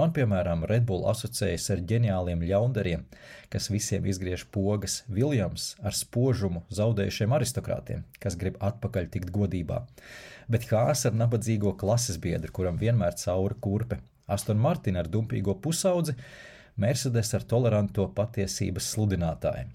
Man, piemēram, Red Bull asociējas ar ģeniāliem ļaundariem, kas visiem izgriež pogas, Viljams ar spožumu zaudējušiem aristokrātiem, kas grib atpakaļ tikt godībā. Bet Haas ar nabadzīgo klases biedru, kuram vienmēr cauri kurpe, Aston Martin ar dumpīgo pusaudzi, Mercedes ar toleranto patiesības sludinātāju.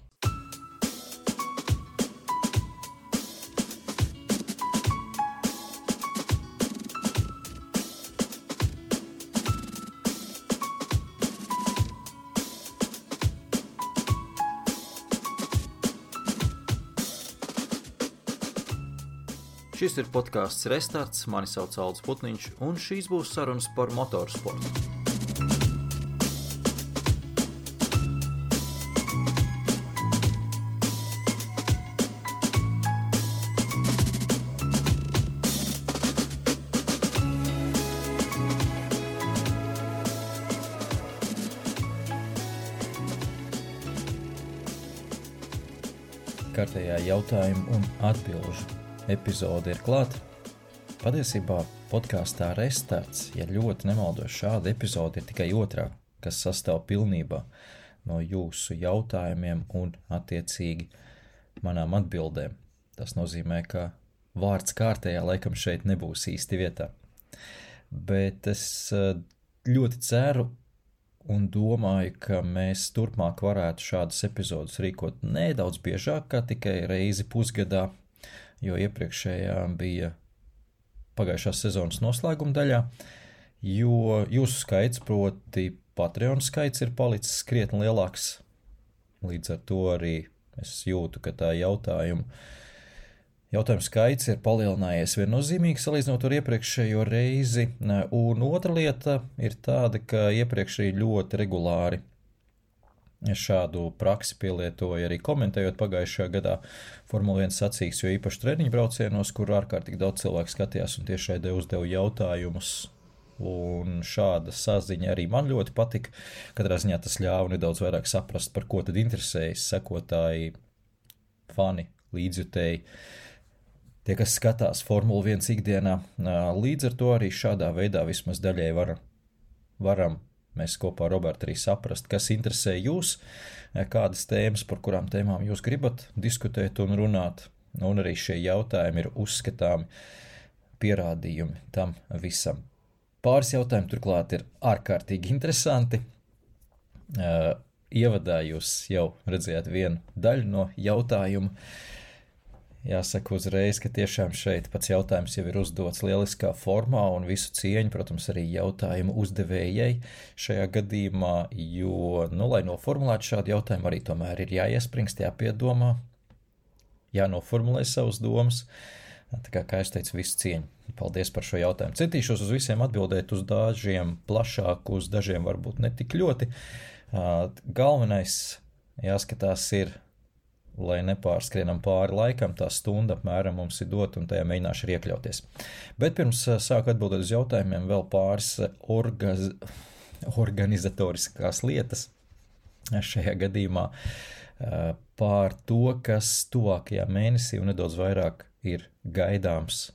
Šis ir podcasts Restarts, mani sauc Aldis Putniņš, un šīs būs sarunas par motorsportu. Kārtējā jautājumu un atbilžu epizode ir klāta. Patiesībā podkāstā Restarts, ja ļoti nemaldos, šāda epizode ir tikai otrā, kas sastāv pilnībā no jūsu jautājumiem un attiecīgi manām atbildēm. Tas nozīmē, ka vārds kārtējā laikam šeit nebūs īsti vietā. Bet es ļoti ceru un domāju, ka mēs turpmāk varētu šādas epizodes rīkot nedaudz biežāk, kā tikai reizi pusgadā, jo iepriekšējā bija pagājušās sezonas noslēguma daļā, jo jūsu skaits, proti Patreon skaits, ir palicis krietni lielāks. Līdz ar to arī es jūtu, ka tā jautājumu skaits ir palielinājies viennozīmīgi salīdzinot ar iepriekšējo reizi, un otra lieta ir tāda, ka iepriekš arī ļoti regulāri šādu praksi pielietoja arī komentējot pagājušajā gadā Formula 1 sacīks, jo īpaši treniņu braucienos, kur ārkārtīgi daudz cilvēku skatījās un tiešraidē uzdeva jautājumus. Un šāda saziņa arī man ļoti patika. Katrā ziņā tas ļāva nedaudz vairāk saprast, par ko tad interesējas sekotāji, fani, līdzjutēji, tie, kas skatās Formula 1 ikdienā. Līdz ar to arī šādā veidā vismaz daļai varam mēs kopā ar Robertu arī saprast, kas interesē jūs, kādas tēmas, par kurām tēmām jūs gribat diskutēt un runāt. Un arī šie jautājumi ir uzskatāmi pierādījumi tam visam. Pāris jautājumi turklāt ir ārkārtīgi interesanti. Ievadā jūs jau redzējāt vienu daļu no jautājumu. Jāsaka uzreiz, ka tiešām šeit pats jautājums jau ir uzdots lieliskā formā un visu cieņu, protams, arī jautājumu uzdevējai šajā gadījumā, jo, lai noformulētu šādu jautājumu, arī tomēr ir jāiespringst, jāpiedomā, jānoformulē savas domas. Tā kā es teicu, visu cieņu. Paldies par šo jautājumu. Centīšos uz visiem atbildēt, uz dažiem plašāk, uz dažiem varbūt ne tik ļoti. Galvenais jāskatās ir, lai nepārskrienam pāri laikam, tā stunda apmēram mums ir dot un tajā mēģināšu arī iekļauties. Bet pirms sāku atbildēt uz jautājumiem vēl pāris organizatoriskās lietas šajā gadījumā pār to, kas tuvākajā mēnesī un nedaudz vairāk ir gaidāms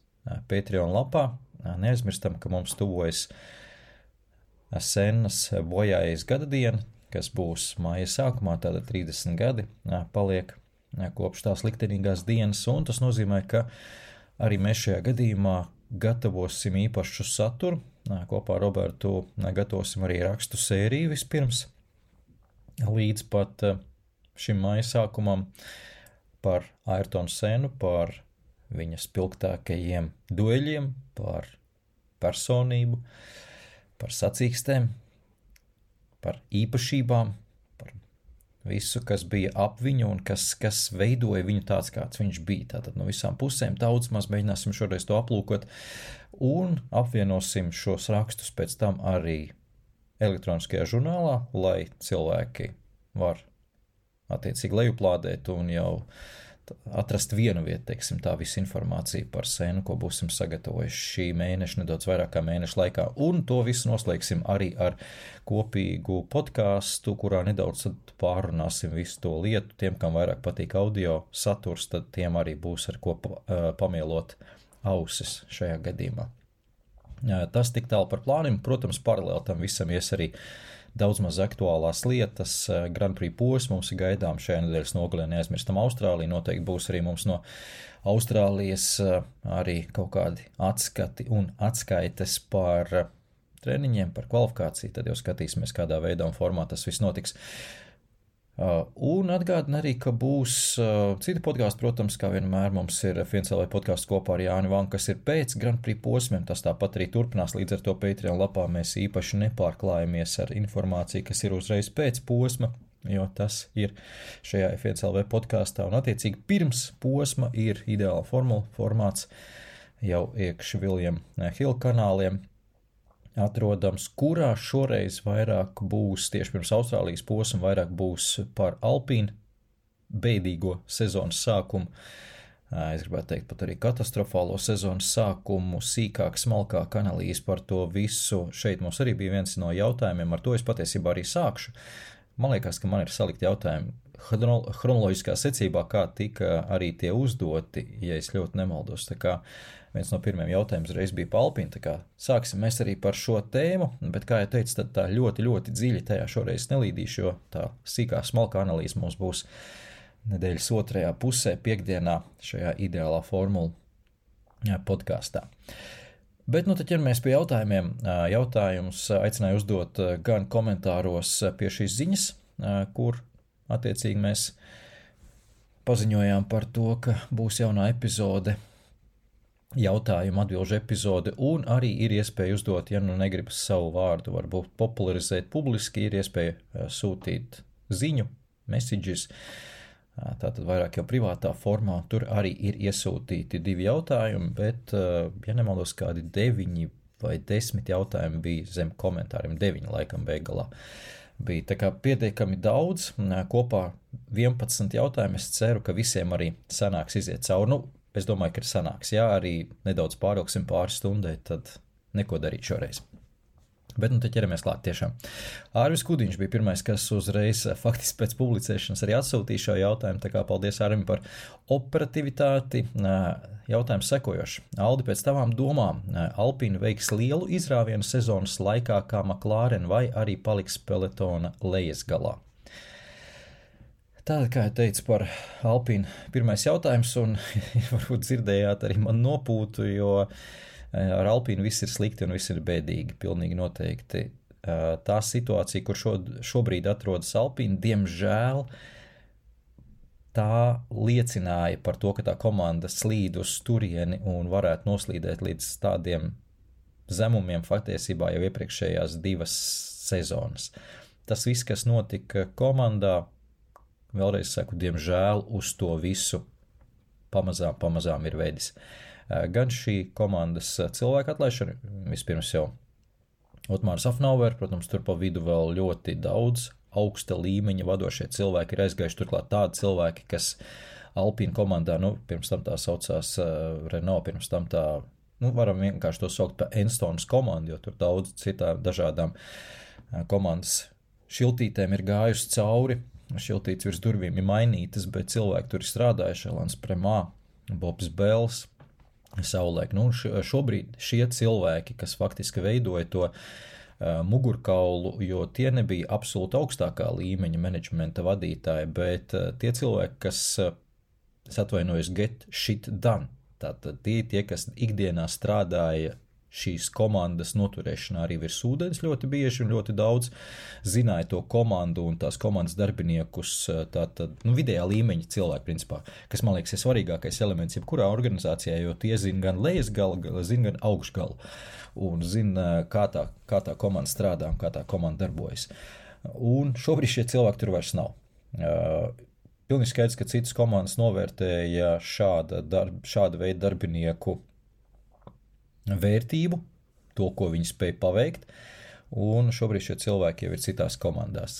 Patreon lapā. Neaizmirstam, ka mums tuvojas Sennas bojājas gada diena, kas būs māja sākumā, tāda 30 gadi paliek kopš tās liktenīgās dienas, un tas nozīmē, ka arī mēs šajā gadījumā gatavosim īpašu saturu. Kopā ar Robertu gatavosim arī rakstu sēriju vispirms, līdz pat šim māja sākumam par Ayrtonu Sennu, par viņa spilgtākajiem dueļiem, par personību, par sacīkstēm, par īpašībām, par visu, kas bija ap viņu un kas veidoja viņu tāds, kāds viņš bija. Tātad no visām pusēm daudz maz mēģināsim šoreiz to aplūkot un apvienosim šos rakstus pēc tam arī elektroniskajā žurnālā, lai cilvēki var attiecīgi lejuplādēt un jau atrast vienu vietu, teiksim, tā visa informācija par Sennu, ko būsim sagatavojuši šī mēneša, nedaudz vairāk kā mēneša laikā. Un to visu noslēgsim arī ar kopīgu podcastu, kurā nedaudz pārunāsim visu to lietu. Tiem, kam vairāk patīk audio saturs, tad tiem arī būs ar ko pamielot ausis šajā gadījumā. Tas tik tālu par plāniem. Protams, paralēli tam visam ies arī daudz maz aktuālās lietas. Grand Prix posms mums ir gaidām šajā nedēļas nogalē, neaizmirstam Austrāliju. Noteikti būs arī mums no Austrālijas arī kaut kādi atskati un atskaites par treniņiem, par kvalifikāciju. Tad jau skatīsimies, kādā veidā un formā tas viss notiks. Un atgādina arī, ka būs citi podkāsti, protams, kā vienmēr mums ir FNCLV podkāsts kopā ar Jāni Vanku, kas ir pēc Grand Prix posmiem, tas tāpat arī turpinās, līdz ar to Patreon lapā mēs īpaši nepārklājamies ar informāciju, kas ir uzreiz pēc posma, jo tas ir šajā FNCLV podkāstā, un attiecīgi pirms posma ir ideāla formāts jau iekš William Hill kanāliem, atrodams, kurā šoreiz vairāk būs, tieši pirms Austrālijas posma, vairāk būs par Alpīnu beidīgo sezonas sākumu. Es gribētu teikt pat arī katastrofālo sezonas sākumu, sīkāk, smalkāk analīzi par to visu. Šeit mums arī bija viens no jautājumiem, ar to es patiesībā arī sākšu. Man liekas, ka man ir salikti jautājumi chronoloģiskā secībā, kā tika arī tie uzdoti, ja es ļoti nemaldos. Tā kā viens no pirmiem jautājumiem reiz bija par Alpīnu, tā kā sāksim mēs arī par šo tēmu, bet, kā jau teicu, tad tā ļoti, ļoti dziļi tajā šoreiz nelīdīšu, jo tā sīkā, smalkā analīze mums būs nedēļas otrajā pusē, piekdienā šajā ideālā formula podkāstā. Bet, tad ķeramies pie jautājumiem. Jautājumus aicināju uzdot gan komentāros pie šīs ziņas, kur attiecīgi mēs paziņojām par to, ka būs jaunā epizode, jautājumu atbilžu epizode, un arī ir iespēja uzdot, ja nu negribas savu vārdu varbūt popularizēt publiski, ir iespēja sūtīt ziņu, messages, tātad vairāk jau privātā formā, tur arī ir iesūtīti 2 jautājumi, bet, ja nemaldos, kādi 9 vai 10 jautājumi bija zem komentāriem, 9 laikam beigalā bija. Tā kā pietiekami daudz, kopā 11 jautājumi, es ceru, ka visiem arī sanāks iziet cauri. Es domāju, ka ir sanāks. Jā, arī nedaudz pārilgsim pāris stundai, tad neko darīt šoreiz. Bet te ķeramies klāt tiešām. Ārvis Kudiņš bija pirmais, kas uzreiz faktiski pēc publicēšanas arī atsūtīja šo jautājumu, tā kā paldies Ārvim par operativitāti. Jautājums sekojoši. Aldi, pēc tavām domām, Alpīna veiks lielu izrāvienu sezonas laikā kā McLaren vai arī paliks pelotona lejas galā? Tātad, kā jau teicu par Alpīnu, pirmais jautājums, un varbūt dzirdējāt arī man nopūtu, jo ar Alpīnu viss ir slikti un viss ir bēdīgi, pilnīgi noteikti. Tā situācija, kur šobrīd atrodas Alpīna, diemžēl tā liecināja par to, ka tā komanda slīd uz turieni un varētu noslīdēt līdz tādiem zemumiem faktiesībā jau iepriekšējās 2 sezonas. Tas viss, kas notika komandā, vēlreiz saku, diemžēl uz to visu pamazām ir veidis. Gan šī komandas cilvēku atlaišana, vispirms jau Otmārs Afnauer, protams, tur pa vidu vēl ļoti daudz augsta līmeņa vadošie cilvēki ir aizgājuši, turklāt tādi cilvēki, kas Alpīna komandā, pirms tam tā saucās Renault, pirms tam tā, varam vienkārši to saukt par Enstonas komandu, jo tur daudz citām dažādām komandas šiltītēm ir gājusi cauri. Šiltītes virs durvīm ir mainītas, bet cilvēki tur ir strādājuši, Elans Premā, Bobs Bels, savulaik. Šobrīd šie cilvēki, kas faktiski veidoja to mugurkaulu, jo tie nebija absolūti augstākā līmeņa menedžmenta vadītāji, bet tie cilvēki, kas, es atvainojos, get shit done, tātad tie, kas ikdienā strādāja šīs komandas noturēšanā arī virs ūdens ļoti bieži un ļoti daudz zināja to komandu un tās komandas darbiniekus, tātad, vidējā līmeņa cilvēki, principā, kas, man liekas, ir svarīgākais elements jebkurā organizācijā, jo tie zina gan lejas galu, zina gan augšgalu un zina, kā tā komanda strādā un kā tā komanda darbojas. Un šobrīd šie cilvēki tur vairs nav. Pilnīgi skaidrs, ka citas komandas novērtēja šāda veida darbinieku vērtību, to, ko viņi spēj paveikt, un šobrīd šie cilvēki jau ir citās komandās.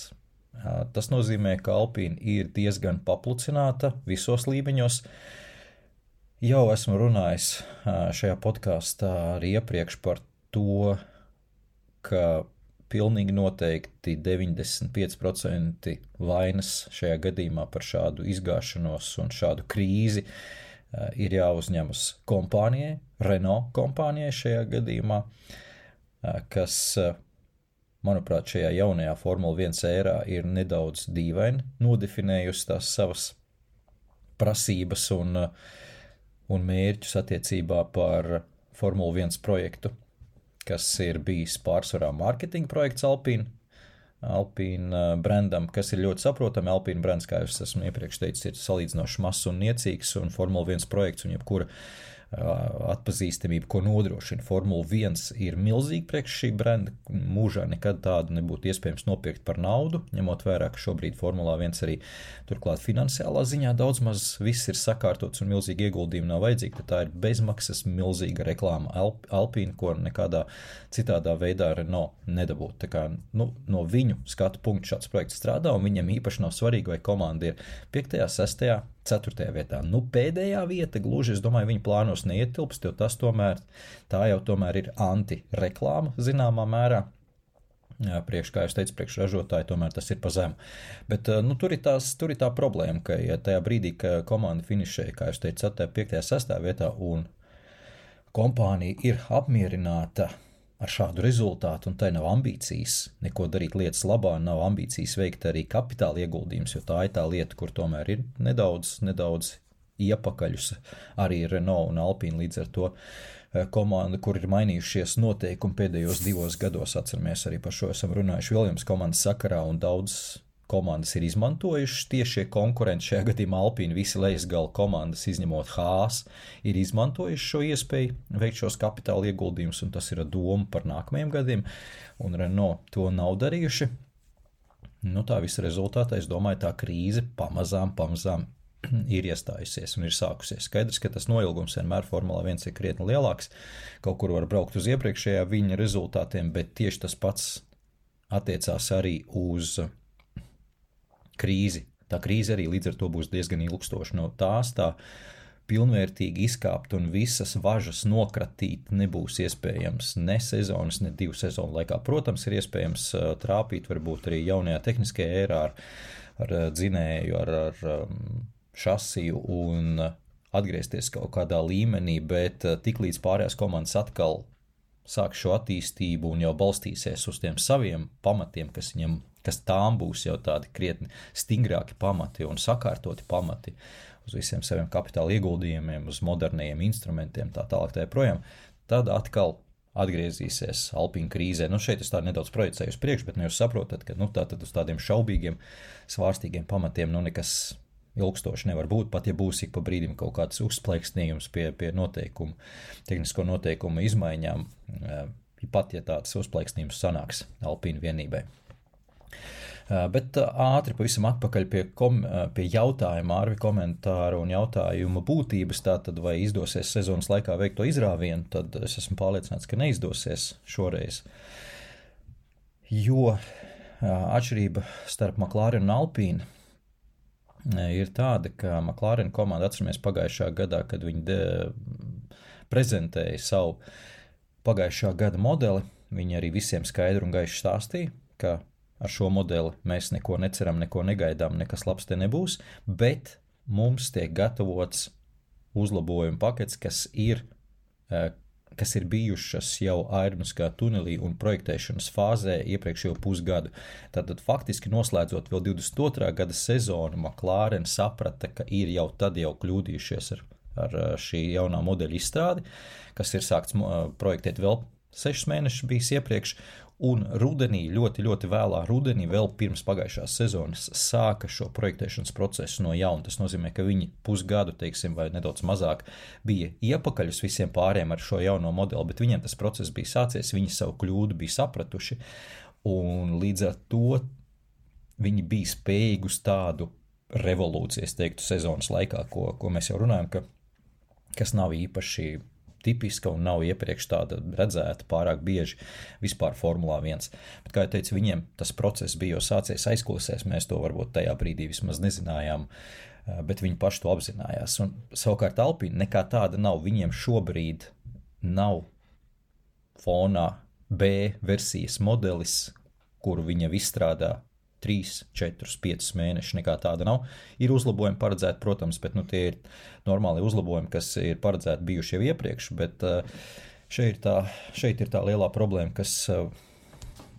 Tas nozīmē, ka Alpīna ir diezgan paplucināta visos līmeņos. Jau esmu runājis šajā podkāstā arī iepriekš par to, ka pilnīgi noteikti 95% vainas šajā gadījumā par šādu izgāšanos un šādu krīzi ir jāuzņemas kompānijai, Renault kompānijai šajā gadījumā, kas, manuprāt, šajā jaunajā Formula 1 ērā ir nedaudz dīvaini nodefinējusi tās savas prasības un mērķus attiecībā par Formula 1 projektu, kas ir bijis pārsvarā mārketinga projekts Alpine brandam, kas ir ļoti saprotami. Alpine brands, kā es esmu iepriekš teicis, ir salīdzinoši mazs un niecīgs, un Formula 1 projekts un jebkura atpazīstamība, ko nodrošina Formula 1, ir milzīga priekš šī brenda. Mūžā nekad tādu nebūtu iespējams nopirkt par naudu, ņemot vērā, ka šobrīd Formula 1 arī turklāt finansiālā ziņā daudz maz viss ir sakārtots un milzīgi ieguldījumi nav vajadzīgi, tad tā ir bezmaksas milzīga reklāma Alpine, ko nekādā citādā veidā Renault nedabūtu. Tā kā, no viņu skatu punktu šāds projekts strādā, un viņam īpaši nav svarīgi, vai komanda ir 5., 6., 4. vietā. Pēdējā vieta gluži, es domāju, viņa plānos neietilpst, jo tā jau tomēr ir anti-reklāma zināmā mērā. Kā jūs teicu, priekš ražotāji tomēr tas ir pa zemu. Bet tur ir tā problēma, ka ja tajā brīdī, ka komanda finišēja, kā jūs teicu, 5., 6. vietā un kompānija ir apmierināta ar šādu rezultātu, un tai nav ambīcijas neko darīt lietas labā, nav ambīcijas veikt arī kapitāla ieguldījums, jo tā ir tā lieta, kur tomēr ir nedaudz iepakaļus arī Renault un Alpine, līdz ar to komanda, kur ir mainījušies noteikumi pēdējos 2 gados, atceramies arī par šo esam runājuši Williams komandas sakarā, un daudz komandas ir izmantojušas tiešie konkurenti, šajā gadījumā Alpine, visi lejasgala komandas, izņemot Haas, ir izmantojuši šo iespēju veikt šos kapitāla ieguldījumus, un tas ir doma par nākamajiem gadiem, un Renault to nav darījuši. Tā visa rezultātā, es domāju, tā krīze pamazām ir iestājusies un ir sākusies. Skaidrs, ka tas noilgums vienmēr Formula 1 ir krietni lielāks, kaut kur var braukt uz iepriekšējā viņa rezultātiem, bet tieši tas pats attiecās arī uz krīzi. Tā krīze arī līdz ar to būs diezgan ilgstoša. No tās tā pilnvērtīgi izkāpt un visas važas nokratīt nebūs iespējams ne sezonas, ne 2 sezonu laikā. Protams, ir iespējams trāpīt varbūt arī jaunajā tehniskajā ērā ar dzinēju, ar šasiju un atgriezties kaut kādā līmenī, bet tiklīdz pārējās komandas atkal sāk šo attīstību un jau balstīsies uz tiem saviem pamatiem, kas tām būs jau tādi krietni stingrāki pamati un sakārtoti pamati uz visiem saviem kapitāla ieguldījumiem, uz modernajiem instrumentiem, tā tālāk tā projām, tad atkal atgriezīsies Alpine krīzē. Šeit es tā nedaudz projicēju uz priekšu, bet jūs saprotat, ka tātad uz tādiem šaubīgiem, svārstīgiem pamatiem nekas ilgstoši nevar būt, pat ja būs ik pa brīdim kaut kāds uzplaiksnījums pie tehnisko noteikumu izmaiņām, pat ja tāds uzplaiksnījums sanāks Alpine vienībai. Bet ātri pavisam atpakaļ pie jautājuma, Ārvi komentāru un jautājumu būtības, tātad vai izdosies sezonas laikā veikt to izrāvienu, tad es esmu pārliecināts, ka neizdosies šoreiz, jo atšķirība starp McLaren un Alpine ir tāda, ka McLaren komanda, atceramies pagājušā gadā, kad viņi prezentēja savu pagājušā gada modeli, viņi arī visiem skaidri un gaiši stāstīja, ka ar šo modeli mēs neko neceram, neko negaidām, nekas labs te nebūs, bet mums tiek gatavots uzlabojumu pakets, kas ir bijušas jau aerodinamiskā tunelī un projektēšanas fāzē iepriekšējo pusgadu. Tātad faktiski noslēdzot vēl 22. gada sezonu, McLaren saprata, ka ir jau tad kļūdījušies ar šī jaunā modeļa izstrādi, kas ir sākts projektēt vēl 6 mēnešus bijis iepriekš, un rudenī, ļoti, ļoti vēlā rudenī, vēl pirms pagājušās sezonas, sāka šo projektēšanas procesu no jauna. Tas nozīmē, ka viņi pusgadu, vai nedaudz mazāk, bija iepakaļ uz visiem pāriem ar šo jauno modeli, bet viņiem tas process bija sācies, viņi savu kļūdu bija sapratuši, un līdz ar to viņi bija spējīgi uz tādu revolūciju, es teiktu, sezonas laikā, ko mēs jau runājam, kas nav īpaši tipiska un nav iepriekš tāda redzēta pārāk bieži vispār Formulā 1. Bet, kā jau teicu, viņiem tas process bija jau sācies aizkulisēs, mēs to varbūt tajā brīdī vismaz nezinājām, bet viņi paši to apzinājās. Un savukārt Alpine nekā tāda nav, viņiem šobrīd nav fonā B versijas modelis, kuru viņa izstrādā 3, 4, 5 mēneši, nekā tāda nav. Ir uzlabojumi paredzēti, protams, bet tie ir normāli uzlabojumi, kas ir paredzēti bijuši jau iepriekš, bet šeit ir tā lielā problēma, kas,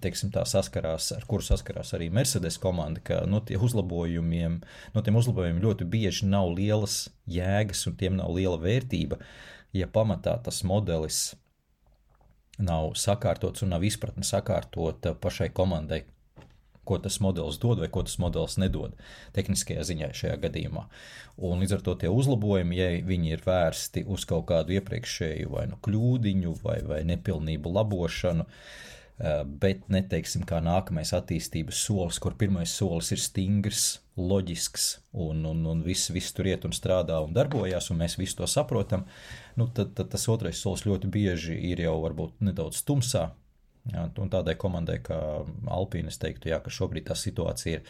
teiksim, ar kuru saskarās arī Mercedes komanda, ka no tiem uzlabojumiem ļoti bieži nav lielas jēgas un tiem nav liela vērtība, ja pamatā tas modelis nav sakārtots un nav izpratne sakārtota pašai komandai, ko tas modelis dod vai ko tas modelis nedod tehniskajā ziņā šajā gadījumā. Un līdz ar to tie uzlabojumi, ja viņi ir vērsti uz kaut kādu iepriekšēju vai kļūdiņu vai nepilnību labošanu, bet neteiksim kā nākamais attīstības solis, kur pirmais solis ir stingrs, loģisks un viss tur iet un strādā un darbojās, un mēs visu to saprotam, tad tas otrais solis ļoti bieži ir jau varbūt nedaudz tumsā, un tādai komandai kā Alpine es teiktu, ka šobrīd tā situācija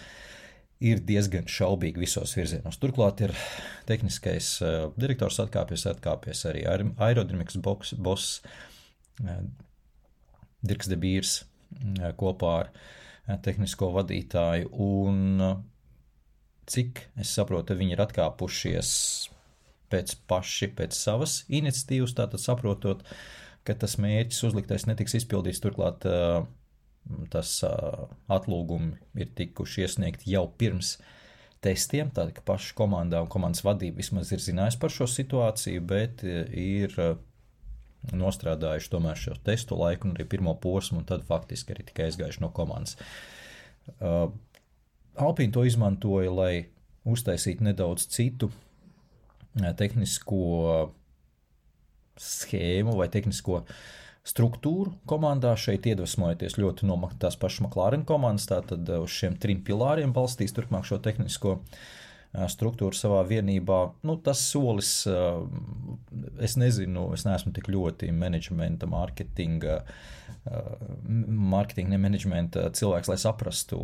ir diezgan šaubīga visos virzienos. Turklāt ir tehniskais direktors atkāpies arī aerodinamikas boss Dirks de Beers kopā ar tehnisko vadītāju, un cik es saprotu, viņi ir atkāpušies pēc savas iniciatīvas, tātad saprotot, ka tas mērķis uzliktais netiks izpildīts, turklāt tas atlūgumi ir tikuši iesniegti jau pirms testiem, tātad, ka paša komandā un komandas vadība vismaz ir zinājusi par šo situāciju, bet ir nostrādājuši tomēr šo testu laiku un arī pirmo posmu, un tad faktiski arī tikai aizgājuši no komandas. Alpine to izmantoja, lai uztaisītu nedaudz citu tehnisko schēmu vai tehnisko struktūru komandā, šeit iedvesmojoties ļoti no tās pašas McLaren komandas, tātad uz šiem 3 pilāriem balstīs turpmāk šo tehnisko struktūru savā vienībā. Tas solis, es nezinu, es neesmu tik ļoti menedžmenta, mārketinga, ne menedžmenta cilvēks, lai saprastu,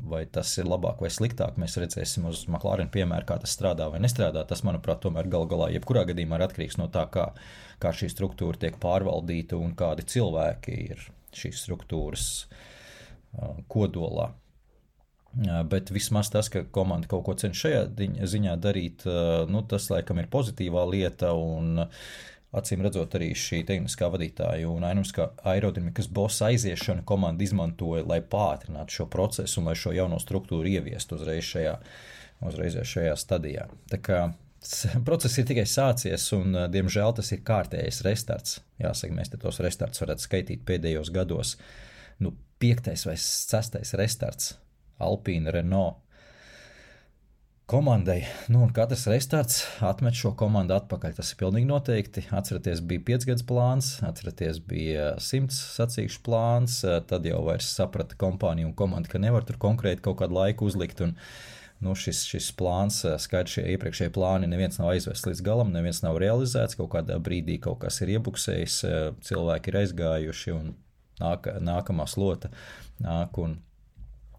vai tas ir labāk vai sliktāk. Mēs redzēsim uz McLaren piemēru, kā tas strādā vai nestrādā. Tas, manuprāt, tomēr galā jebkurā gadījumā ir atkarīgs no tā, kā šī struktūra tiek pārvaldīta un kādi cilvēki ir šīs struktūras kodolā. Bet vismaz tas, ka komanda kaut ko cenš šajā ziņā darīt, tas laikam ir pozitīvā lieta, un acīm redzot arī šī tehniskā vadītāja un aerodinamikas bossa aiziešana komanda izmantoja, lai pātrinātu šo procesu un lai šo jauno struktūru ieviestu uzreiz šajā stadijā. Tā kā process ir tikai sācies, un diemžēl tas ir kārtējais restarts. Jāsaka, mēs te tos restarts varētu skaitīt pēdējos gados. 5. vai 6. restarts Alpine, Renault komandai. Un katrs restarts atmet šo komandu atpakaļ. Tas ir pilnīgi noteikti. Atceraties, bija 5 gadus plāns, atceraties, bija 100 sacīkšu plāns, tad jau vairs saprata kompānija un komanda, ka nevar tur konkrēti kaut kādu laiku uzlikt, un šis plāns, skaidrs, šie iepriekšējie plāni, neviens nav aizvests līdz galam, neviens nav realizēts, kaut kādā brīdī kaut kas ir iebuksējis, cilvēki ir aizgājuši, un nākamā slota nāk un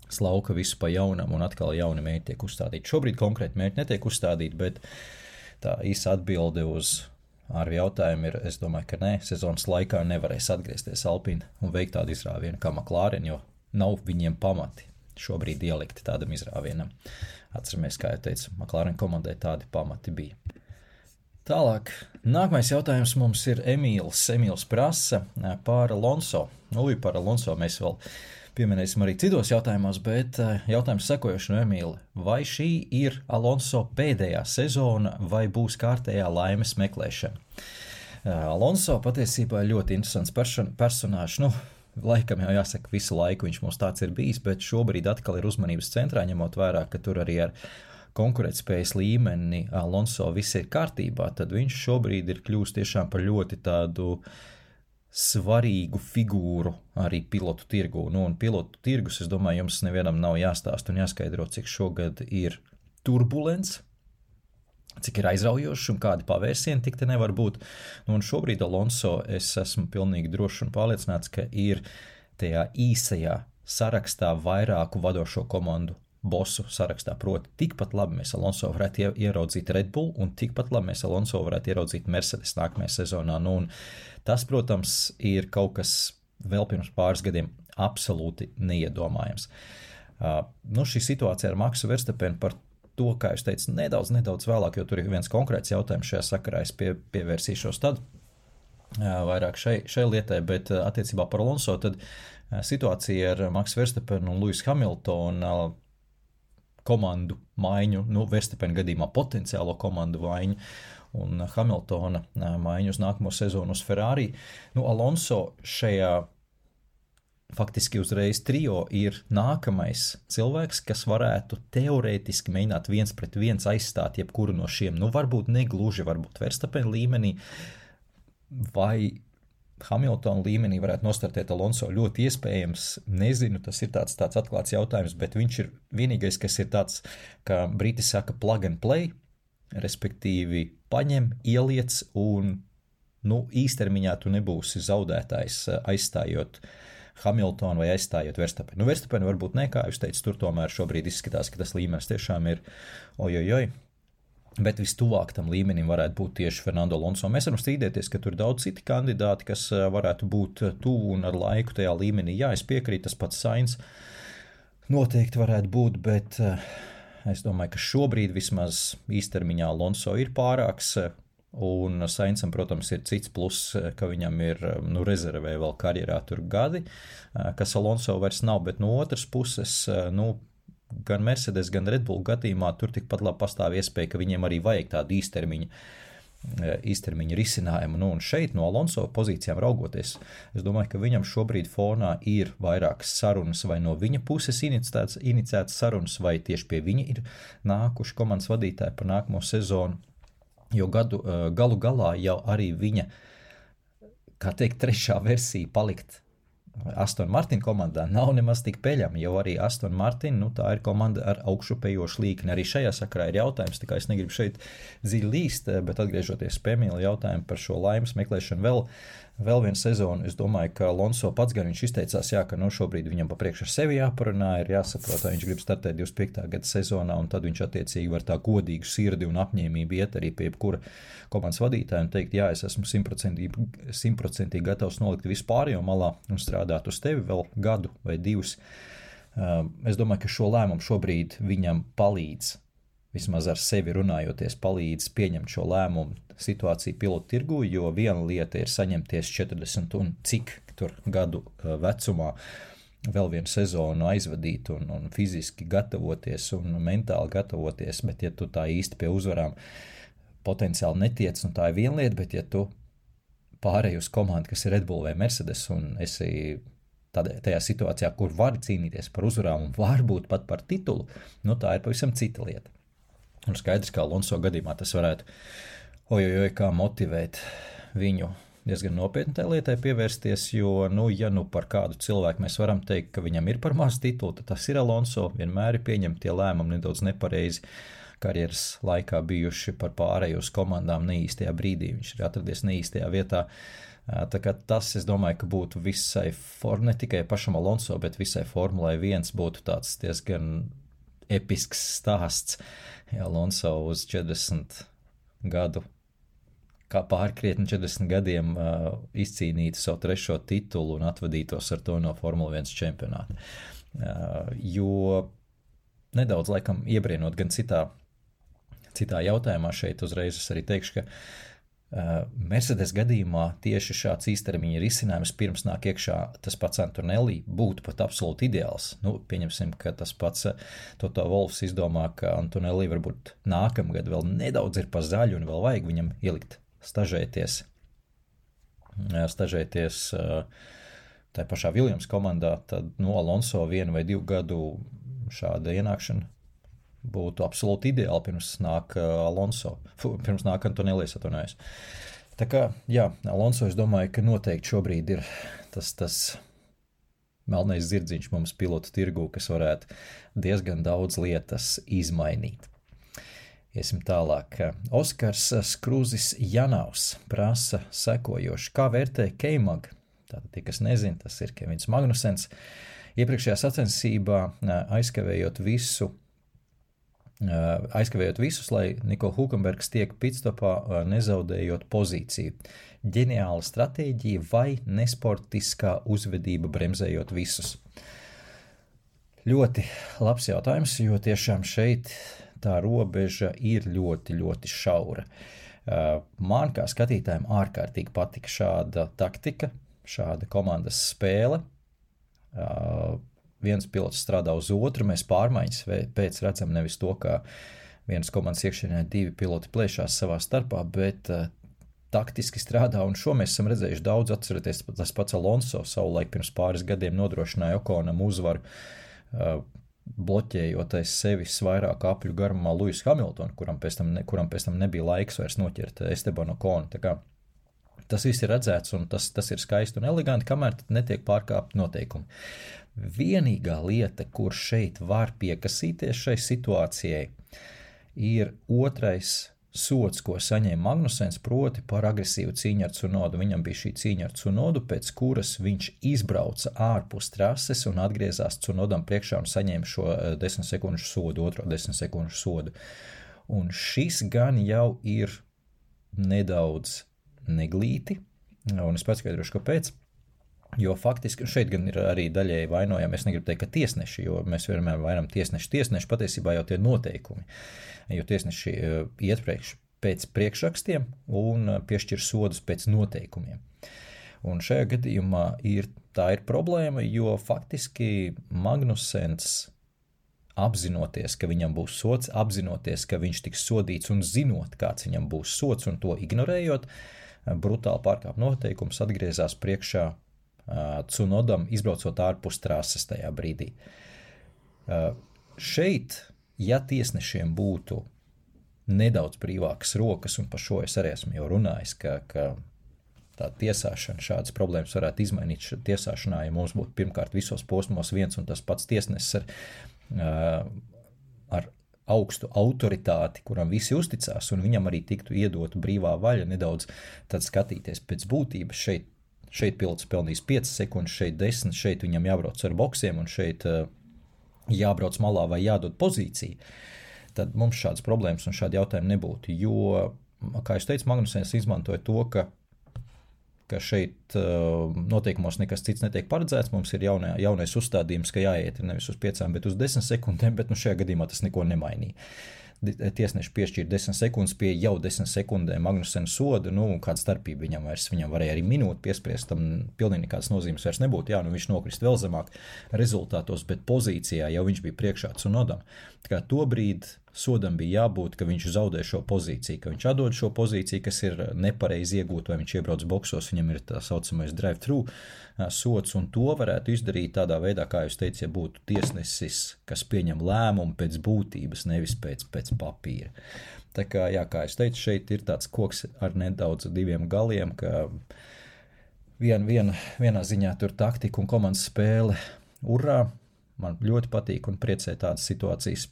slauka visu pa jaunam, un atkal jauni mērķi tiek uzstādīti. Šobrīd konkrēti mērķi netiek uzstādīti, bet tā īsa atbilde uz Arvi jautājumu ir, es domāju, ka nē, sezonas laikā nevarēs atgriezties Alpine un veikt tādu izrāvienu kā McLaren, jo nav viņiem pamati šobrīd ielikti tādam izrāvienam. Atceramies, kā jau teicu, McLaren komandai tādi pamati bija. Tālāk, nākamais jautājums mums ir Emīls prasa par Alonso. Par Alonso mēs vēl pieminēsim arī citos jautājumos, bet jautājums sekojoši no Emīla. Vai šī ir Alonso pēdējā sezona vai būs kārtējā laimes meklēšana? Alonso patiesībā ļoti interesants personāžs. Laikam jau jāsaka, visu laiku viņš mums tāds ir bijis, bet šobrīd atkal ir uzmanības centrā, ņemot vērā, ka tur arī ar konkurētspējas līmeni Alonso viss ir kārtībā, tad viņš šobrīd ir kļūst tiešām par ļoti tādu svarīgu figūru arī pilotu tirgu. Un pilotu tirgus, es domāju, jums nevienam nav jāstāst un jāskaidro, cik šogad ir turbulents, cik ir aizraujoši un kādi pavērsieni tik te nevar būt. Un šobrīd Alonso es esmu pilnīgi drošs un pārliecināts, ka ir tajā īsajā sarakstā vairāku vadošo komandu bosu sarakstā. Proti, tikpat labi mēs Alonso varētu ieraudzīt Red Bull un tikpat labi mēs Alonso varētu ieraudzīt Mercedes nākamajā sezonā. Un tas, protams, ir kaut kas vēl pirms pāris gadiem absolūti neiedomājams. Šī situācija ar Maksu Verstapenu par to, kā es teicu, nedaudz vēlāk, jo tur ir viens konkrēts jautājums šajā sakarā, es pievērsīšos tad vairāk šai lietai, bet attiecībā par Alonso, tad situācija ar Maksu Verstapenu un Lewis Hamiltonu komandu maiņu, Verstapena gadījumā potenciālo komandu maiņu un Hamiltona maiņu uz nākamo sezonu uz Ferrari. Alonso šajā faktiski uzreiz trio ir nākamais cilvēks, kas varētu teorētiski mēģināt 1-1 aizstāt jebkuru no šiem, varbūt negluži, varbūt Verstapena līmenī, vai Hamiltona līmenī varētu nostartēt Alonso, ļoti iespējams, nezinu, tas ir tāds atklāts jautājums, bet viņš ir vienīgais, kas ir tāds, kā briti saka, plug and play, respektīvi paņem, ieliec un, īstermiņā tu nebūsi zaudētājs aizstājot Hamiltonu vai aizstājot Verstapenu. Verstapenu varbūt ne, kā jūs teicu, tur tomēr šobrīd izskatās, ka tas līmenis tiešām ir ojojoj. Bet vistuvāk tam līmenim varētu būt tieši Fernando Alonso. Mēs varam strīdēties, ka tur ir daudz citi kandidāti, kas varētu būt tuvu un ar laiku tajā līmenī. Jā, es piekrītu, tas pats Sainz noteikti varētu būt, bet es domāju, ka šobrīd vismaz īstermiņā Alonso ir pārāks, un Sainzam, protams, ir cits pluss, ka viņam ir rezervē vēl karjerā tur gadi, kas Alonso vairs nav, bet no otras puses, gan Mercedes, gan Red Bull gadījumā tur tikpat labi pastāv iespēja, ka viņiem arī vajag tādu īstermiņa risinājumu. Un šeit no Alonso pozīcijām raugoties, es domāju, ka viņam šobrīd fonā ir vairākas sarunas, vai no viņa puses iniciētas sarunas, vai tieši pie viņa ir nākuši komandas vadītāji par nākamo sezonu, jo galu galā jau arī viņa, kā teikt, trešā versija palikt Aston Martin komandā nav nemaz tik peļama, jo arī Aston Martin, tā ir komanda ar augšupējošu līkni. Arī šajā sakarā ir jautājums, tā kā es negribu šeit dziļi līst, bet atgriežoties pie Emīla jautājumu par šo laimes meklēšanu vēl vienu sezonu, es domāju, ka Alonso pats gan viņš izteicās, ka šobrīd viņam pa priekš ar sevi jāparunā, ir jāsaprot, vai viņš grib startēt 25. gada sezonā, un tad viņš attiecīgi var tā godīgu sirdi un apņēmību iet arī pie jebkura komandas vadītāja un teikt, es esmu 100% gatavs nolikt visu pārējo malā un strādāt uz tevi vēl gadu vai divus. Es domāju, ka šo lēmumu šobrīd viņam palīdz, vismaz ar sevi runājoties, palīdz pieņemt šo lēmumu situāciju pilotu tirgu, jo viena lieta ir saņemties 40 un cik tur gadu vecumā vēl vienu sezonu aizvadīt un fiziski gatavoties un mentāli gatavoties, bet ja tu tā īsti pie uzvarām potenciāli netiec, tā ir viena lieta, bet ja tu pārēj uz komandu, kas ir Red Bull vai Mercedes un esi tajā situācijā, kur vari cīnīties par uzvarām un varbūt pat par titulu, tā ir pavisam cita lieta. Un skaidrs, kā Alonso gadījumā tas varētu kā motivēt viņu diezgan nopietni tai lietai pievērsties, jo, ja par kādu cilvēku mēs varam teikt, ka viņam ir par maz titulu, tad tas ir Alonso, vienmēr ir pieņemti tie lēmumi nedaudz nepareizi karjeras laikā bijuši par pārēju uz komandām neīstajā brīdī, viņš ir atradies neīstajā vietā. Tā kā tas, es domāju, ka būtu visai, ne tikai pašam Alonso, bet visai Formulai 1 būtu tāds diezgan episks stāsts, ja Alonso uz 40 gadu, kā pārkrietni 40 gadiem izcīnītu savu trešo titulu un atvadītos ar to no Formula 1 čempionāta. Jo nedaudz, laikam, iebrienot gan citā jautājumā šeit uzreiz es arī teikšu, ka Mercedes gadījumā tieši šāds īstermiņa risinājums pirms nāk iekšā tas pats Antonelli būtu pat absolūti ideāls. Pieņemsim, ka tas pats Toto Wolffs izdomā, ka Antonelli varbūt nākamgad vēl nedaudz ir pa zaļu un vēl vajag viņam ielikt stažēties tā pašā Williams komandā, tad Alonso 1 vai 2 gadu šāda ienākšana būtu absolūti ideāli pirms nāk Antonelli, atvainojos. Tā kā, Alonso, es domāju, ka noteikti šobrīd ir tas melnais zirdziņš mums pilotu tirgū, kas varētu diezgan daudz lietas izmainīt. Iesim tālāk. Oskars Skrūzis Janavs prasa sekojoši. Kā vērtē K-Mag? Tātad tie, kas nezin, tas ir Kevins Magnusens. Iepriekšējā sacensībā aizkavējot visus, lai Niko Hulkenbergs tiek pitstopā, nezaudējot pozīciju. Ģeniāla stratēģija vai nesportiskā uzvedība bremzējot visus? Ļoti labs jautājums, jo tiešām šeit tā robeža ir ļoti, ļoti šaura. Man kā skatītājiem ārkārtīgi patika šāda taktika, šāda komandas spēle. Viens pilots strādā uz otru, mēs pārmaiņas pēc redzam nevis to, kā vienas komandas iekšienē divi piloti plēšās savā starpā, bet taktiski strādā, un šo mēs esam redzējuši daudz. Atcerieties, tas pats Alonso savulaik pirms pāris gadiem nodrošināja Okonam uzvaru, bloķējot aiz sevis vairāk apļu garumā Luisu Hamiltonu, kuram pēc tam nebija laiks vairs noķert Estebanu Okonu. Tā kā tas viss ir redzēts, un tas ir skaisti un eleganti, kamēr netiek pārkāpti noteikumi. Vienīgā lieta, kur šeit var piekasīties šai situācijai, ir otrais sods, ko saņēma Magnusens, proti par agresīvu cīņu ar Tsunodu. Viņam bija šī cīņa ar Tsunodu, pēc kuras viņš izbrauca ārpus trases un atgriezās Tsunodam priekšā un saņēma šo 10 sekundžu sodu, otro 10 sekundžu sodu. Un šis gan jau ir nedaudz neglīti, un es paskaidrošu, kāpēc. Jo faktiski šeit gan ir arī daļēji vainojami, es negribu teikt, ka tiesneši, jo mēs vienmēr vainam tiesneši patiesībā jau tie noteikumi, jo tiesneši iet pēc priekšrakstiem un piešķir sodus pēc noteikumiem. Un šajā gadījumā tā ir problēma, jo faktiski Magnusens, apzinoties, ka viņam būs sods, apzinoties, ka viņš tiks sodīts un zinot, kāds viņam būs sods un to ignorējot, brutāli pārkāp noteikums, atgriezās priekšā Tsunodam, izbraucot ārpus trases tajā brīdī. Šeit, ja tiesnešiem būtu nedaudz brīvākas rokas, un par šo es arī esmu jau runājis, ka tā tiesāšana, šādas problēmas varētu izmainīt tiesāšanā, ja mums būtu pirmkārt visos posmos viens un tas pats tiesnesis ar augstu autoritāti, kuram visi uzticās, un viņam arī tiktu iedotu brīvā vaļa nedaudz tad skatīties pēc būtības. Šeit pilots pelnīs 5 sekundes, šeit 10, šeit viņam jābrauc ar boksiem un šeit jābrauc malā vai jādod pozīcija. Tad mums šādas problēmas un šādi jautājumi nebūtu, jo, kā es teicu, Magnusens izmantoja to, ka šeit noteikumos nekas cits netiek paredzēts, mums ir jaunais uzstādījums, ka jāiet nevis uz 5, bet uz 10 sekundēm, bet šajā gadījumā tas neko nemainīja. Tiesneši piešķīra 10 sekundes pie jau 10 sekundēm Magnusena sodu, kāda starpība viņam varēja arī minūti piespriest, tam pilnīgi nekādas nozīmes vairs nebūtu, viņš nokrist vēl zemāk rezultātos, bet pozīcijā jau viņš bija priekšā Tsunodam. Tā kā to brīdi sodam bija jābūt, ka viņš zaudē šo pozīciju, ka viņš atdod šo pozīciju, kas ir nepareizi iegūt, vai viņš iebrauc boksos, viņam ir tā saucamais drive-thru sods, un to varētu izdarīt tādā veidā, kā jūs teicat, ja būtu tiesnesis, kas pieņem lēmumu pēc būtības, nevis pēc papīra. Tā kā, kā es teicu, šeit ir tāds koks ar nedaudz diviem galiem, ka vienā ziņā tur taktika un komandas spēle, urā, man ļoti patīk un priecē tādas situācijas.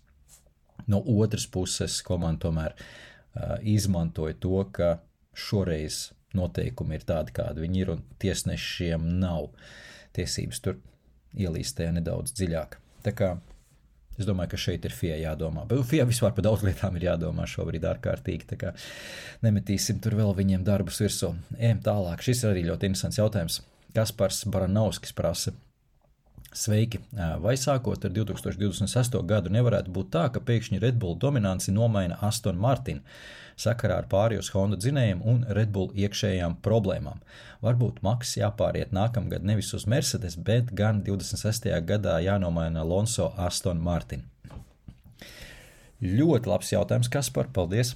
No otras puses, komanda tomēr izmantoja to, ka šoreiz noteikumi ir tādi, kādi viņi ir, un tiesnešiem nav tiesības tur ielīst tajā nedaudz dziļāk. Tā kā es domāju, ka šeit ir FIA jādomā. Bet FIA vispār par daudz lietām ir jādomā šobrīd ārkārtīgi, tā kā nemetīsim tur vēl viņiem darbus virsū. Ejam tālāk, šis ir arī ļoti interesants jautājums. Kaspars Baranovskis prasa: sveiki, vai sākot ar 2028. gadu nevarētu būt tā, ka pēkšņi Red Bull dominanci nomaina Aston Martin sakarā ar pārējos Honda dzinējiem un Red Bull iekšējām problēmām? Varbūt Maks jāpāriet nākamgad nevis uz Mercedes, bet gan 26. gadā jānomaina Alonso Aston Martin. Ļoti labs jautājums, Kaspar, paldies,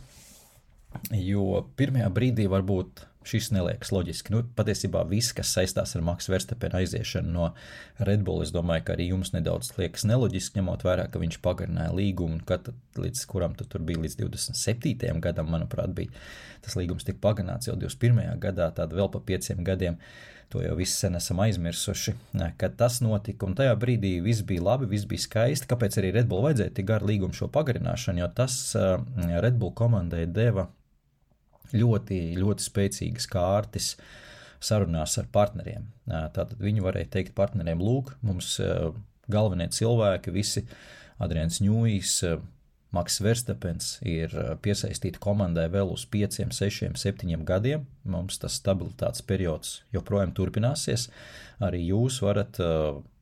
jo pirmajā brīdī varbūt šis neliekas loģiski. Patiesībā viss, kas saistās ar Max Verstappen aiziešanu no Red Bull, es domāju, ka arī jums nedaudz liekas neloģiski, ņemot vērā, ka viņš pagarināja līgumu, līdz kuram tur bija līdz 27. gadam, manuprāt, bija tas līgums tika pagarināts jau 21. gadā, tāda vēl pa 5 gadiem. To jau visi sen esam aizmirsuši, kad tas notika, un tajā brīdī viss bija labi, viss bija skaisti. Kāpēc arī Red Bull vajadzēja tik garu līgumu šo pagarināšanu, jo tas Red Bull komandai deva ļoti, ļoti spēcīgas kārtas sarunās ar partneriem. Tātad viņi varēja teikt partneriem: lūk, mums galvenie cilvēki, visi Adrians Ņūjs, Maks Verstappens ir piesaistīti komandai vēl uz 5, 6, 7 gadiem. Mums tas stabilitātes periods joprojām turpināsies. Arī jūs varat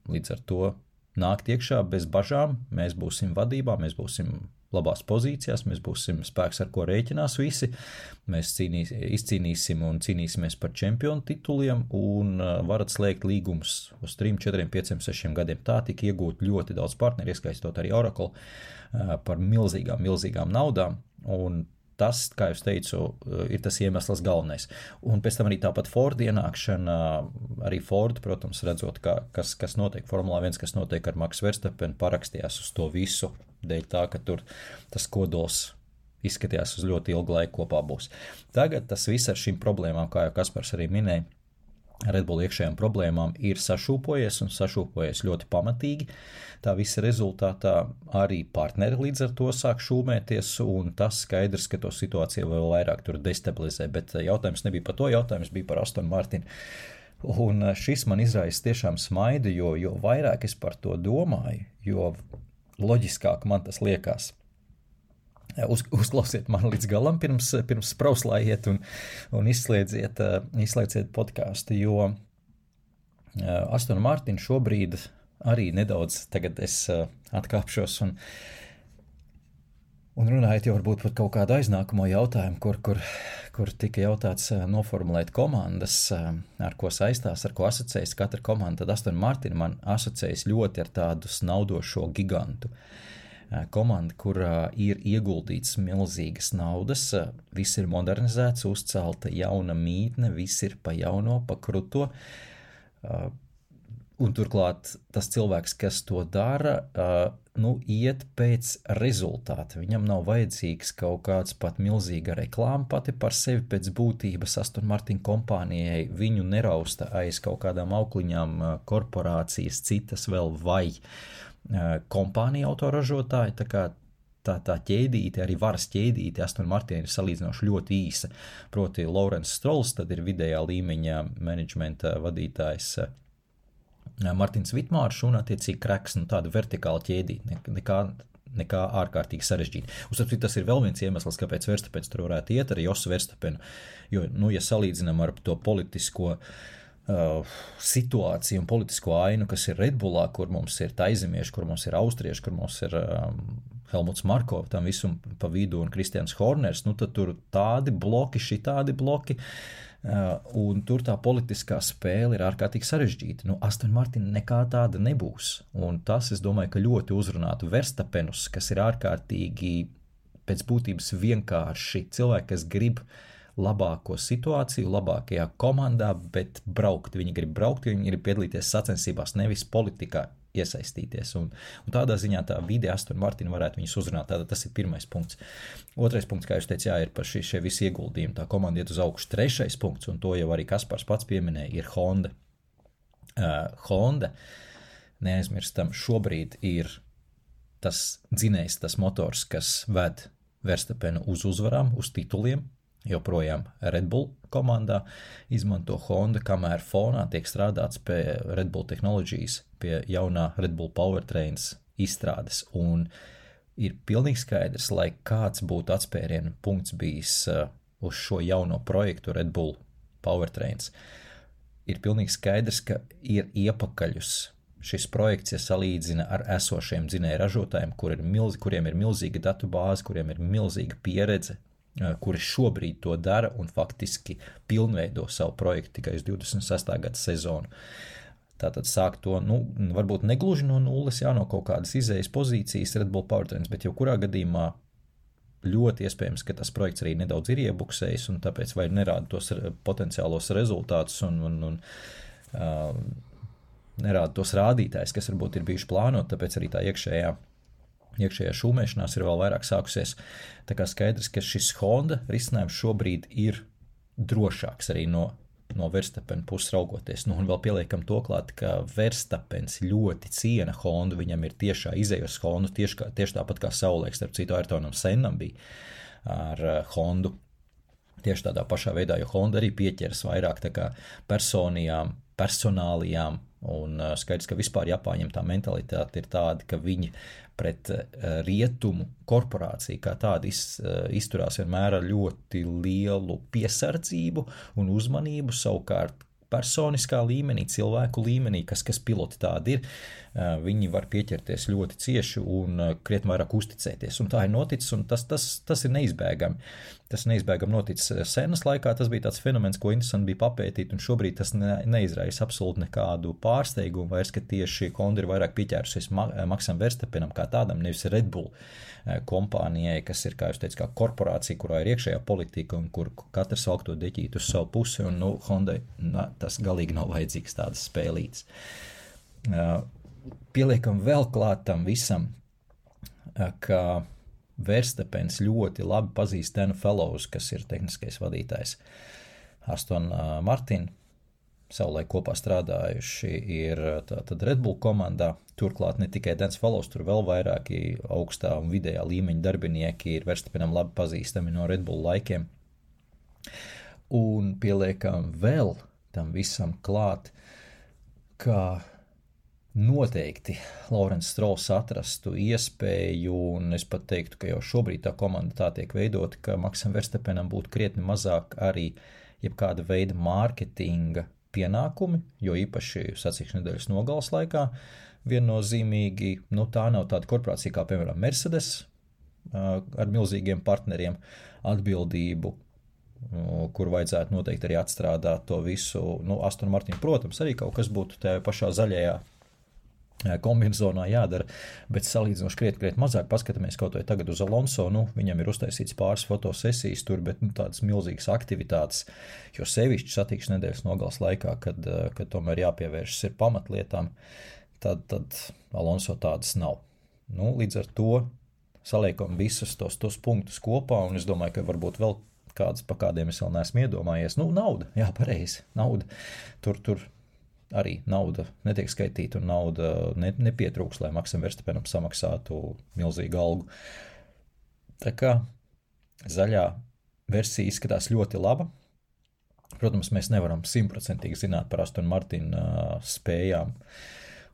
līdz ar to nākt iekšā bez bažām, mēs būsim vadībā, mēs būsim labās pozīcijās, mēs būsim spēks, ar ko rēķinās visi, mēs izcīnīsim un cīnīsimies par čempionu tituliem un varat slēgt līgumus uz 3, 4, 5, 6 gadiem. Tā tika iegūt ļoti daudz partneri, ieskaistot arī Oracle par milzīgām naudām, un tas, kā jau teicu, ir tas iemesls galvenais. Un pēc tam arī tāpat Ford ienākšana, arī Ford, protams, redzot, kas notiek Formulā 1, kas notiek ar Max Verstappen, parakstījās uz to visu, dēļ tā, ka tur tas kodols izskatījās uz ļoti ilgu laiku kopā būs. Tagad tas viss ar šīm problēmām, kā jau Kaspars arī minēja, Red Bull iekšējām problēmām ir sašūpojies ļoti pamatīgi. Tā visa rezultātā arī partneri līdz ar to sāk šūmēties, un tas skaidrs, ka to situāciju vēl vairāk tur destabilizē, bet jautājums nebija par to, jautājums bija par Aston Martin. Un šis man izraisa tiešām smaidu, jo vairāk es par to domāju, jo loģiskāk man tas liekas. Uzklausiet mani līdz galam pirms sprauslājiet un izslēdziet podcastu, jo Aston Martin šobrīd arī nedaudz, tagad es atkāpšos un runājot jau varbūt par kaut kādu aiznākamo jautājumu, kur tika jautāts noformulēt komandas, ar ko saistās, ar ko asociējas katra komanda, tad Aston Martin man asociējas ļoti ar tādu snaudošo gigantu. Komanda, kurā ir ieguldīts milzīgas naudas, viss ir modernizēts, uzcelta jauna mītne, viss ir pa jauno, pa kruto, un turklāt tas cilvēks, kas to dara, iet pēc rezultāta. Viņam nav vajadzīgs kaut kāds pat milzīga reklāma pati par sevi pēc būtības. Aston Martin kompānijai viņu nerausta aiz kaut kādām aukliņām korporācijas, citas vēl vai kompānija autoražotāji, tā kā tā ķēdīte, arī varas ķēdīte Aston Martin ir salīdzinoši ļoti īsa. Proti Lawrence Strolls, tad ir vidējā līmeņa menedžmenta vadītājs Martins Vitmārš un attiecīgi Kreks, tāda vertikāla ķēdīte, nekā ārkārtīgi sarežģīta. Uzskatu, tas ir vēl viens iemesls, kāpēc Verstappens tur varētu iet, arī Josu Verstappenu, jo, ja salīdzinām ar to politisko situāciju un politisko ainu, kas ir Red Bullā, kur mums ir taizemieši, kur mums ir austrieši, kur mums ir Helmuts Marko, tam visum pa vidu un Kristians Horners, tad tur tādi bloki, šitādi bloki, un tur tā politiskā spēle ir ārkārtīgi sarežģīta. Aston Martin nekā tāda nebūs, un tas, es domāju, ka ļoti uzrunātu Verstappenus, kas ir ārkārtīgi pēc būtības vienkārši cilvēki, kas grib labāko situāciju, labākajā komandā, bet braukt. Viņi grib braukt, viņi grib piedalīties sacensībās, nevis politikā iesaistīties. Un tādā ziņā tā vide Aston Martin varētu viņus uzrunāt. Tātad tas ir pirmais punkts. Otrais punkts, kā jūs teicat, ir par šie visi ieguldījumi. Tā komanda iet uz augšu. Trešais punkts, un to jau arī Kaspars pats pieminēja, ir Honda. Honda, neaizmirstam, šobrīd ir tas dzinējs, tas motors, kas ved Verstappenu uz uzvarām, uz tituliem. Joprojām Red Bull komandā izmanto Honda, kamēr fonā tiek strādāts pie Red Bull Technologies, pie jaunā Red Bull Powertrains izstrādes, un ir pilnīgi skaidrs, lai kāds būtu atspērienu punkts bijis uz šo jauno projektu Red Bull Powertrains, ir pilnīgi skaidrs, ka ir iepakaļus šis projekts, ja salīdzina ar esošiem dzinēju ražotājiem, kuriem ir milzīga datu bāze, kuriem ir milzīga pieredze, kuri šobrīd to dara un faktiski pilnveido savu projektu tikai uz 26. gada sezonu. Tātad sāk to, varbūt negluži no nulles, no kaut kādas izējas pozīcijas Red Bull Powertrains, bet jau kurā gadījumā ļoti iespējams, ka tas projekts arī nedaudz ir iebuksējis un tāpēc vai nerāda tos potenciālos rezultātus un nerāda tos rādītājus, kas varbūt ir bijuši plānot, tāpēc arī tā iekšējā šūmēšanās ir vēl vairāk sākusies. Tā kā skaidrs, ka šis Honda risinājums šobrīd ir drošāks arī no Verstappen puses raugoties. Un vēl pieliekam to klāt, ka Verstappens ļoti ciena Hondu, viņam ir tiešā izējas Hondu, tieši tāpat kā savulaik, starp citu Ayrtonam Sennam bija ar Hondu. Tieši tādā pašā veidā, jo Honda arī pieķeras vairāk tā kā personālijām, un skaidrs, ka vispār Japāņiem tā mentalitāte ir tāda, ka viņi pret rietumu korporāciju kā tāda izturās vienmēr ar ļoti lielu piesardzību un uzmanību, savukārt personiskā līmenī, cilvēku līmenī, kas piloti tādi ir, viņi var pieķerties ļoti cieši un krietni vairāk uzticēties. Un tā ir noticis, un tas ir neizbēgami. Tas neizbēgami noticis senas laikā, tas bija tāds fenomens, ko interesanti bija papētīt, un šobrīd tas neizraisa absolūti nekādu pārsteigumu, vairs, ka tieši Honda ir vairāk pieķērusies Maxam Verstappenam kā tādam, nevis Red Bull kompānijai, kas ir, kā jūs teicu, kā korporācija, kurā ir iekšējā politika un kur katrs valk to deķīt uz savu pusi, un Hondai tas galīgi nav vajadzīgs tādas spēlītes. Pieliekam vēl klāt tam visam, ka Verstappens ļoti labi pazīst Danu Fellows, kas ir tehniskais vadītājs. Aston Martin savulaik kopā strādājuši ir tātad Red Bull komandā. Turklāt ne tikai Dans Fellows, tur vēl vairāki augstā un vidējā līmeņa darbinieki ir Verstappenam labi pazīstami no Red Bull laikiem. Un pieliekam vēl tam visam klāt, ka noteikti Lawrence Strolls atrastu iespēju, un es pat teiktu, ka jau šobrīd tā komanda tā tiek veidota, ka Maxam Verstappenam būtu krietni mazāk arī jebkāda veida mārketinga pienākumi, jo īpaši sacīkšu nedēļas nogales laikā viennozīmīgi, tā nav tāda korporācija kā, piemēram, Mercedes ar milzīgiem partneriem, atbildību, kur vajadzētu noteikti arī atstrādāt to visu. Aston Martin, protams, arī kaut kas būtu tajā pašā zaļajā kombinezonā jādara, bet salīdzinoši krietni mazāk paskatāmies kaut vai tagad uz Alonso, viņam ir uztaisīts pāris fotosesijas tur, bet tādas milzīgas aktivitātes, jo sevišķi satikšu nedēļas nogales laikā, kad tomēr jāpievēršas ir pamatlietām, tad Alonso tādas nav. Līdz ar to saliekam visus tos punktus kopā, un es domāju, ka varbūt vēl kādas, pa kādiem es vēl neesmu iedomājies. Nauda, jā, pareizi, nauda. Tur arī nauda netiek skaitīta un nauda nepietrūks, lai Maxam Verstappenam samaksātu milzīgu algu. Tā kā zaļā versija izskatās ļoti laba. Protams, mēs nevaram 100% zināt par Aston Martin spējām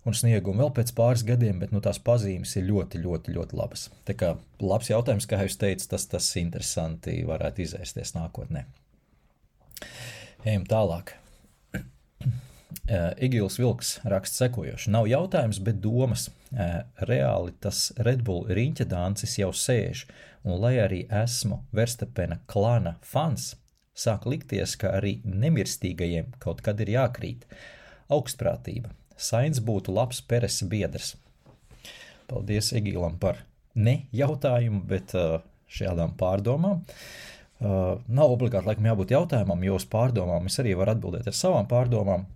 un sniegumu vēl pēc pāris gadiem, bet tās pazīmes ir ļoti, ļoti, ļoti labas. Tā kā labs jautājums, kā jūs teicat, tas interesanti varētu izēsties nākotnē. Ejam tālāk. Egils Vilks raksta sekojoši. Nav jautājums, bet domas. Reāli tas Red Bull riņķa dancis jau sēž, un lai arī esmu Verstappena klana fans, sāk likties, ka arī nemirstīgajiem kaut kad ir jākrīt. Augstprātība. Sainz būtu labs Peresa biedrs. Paldies Egilam par ne jautājumu, bet šādām pārdomām. Nav obligāti laikam jābūt jautājumam, jo uz pārdomām es arī varu atbildēt ar savām pārdomām.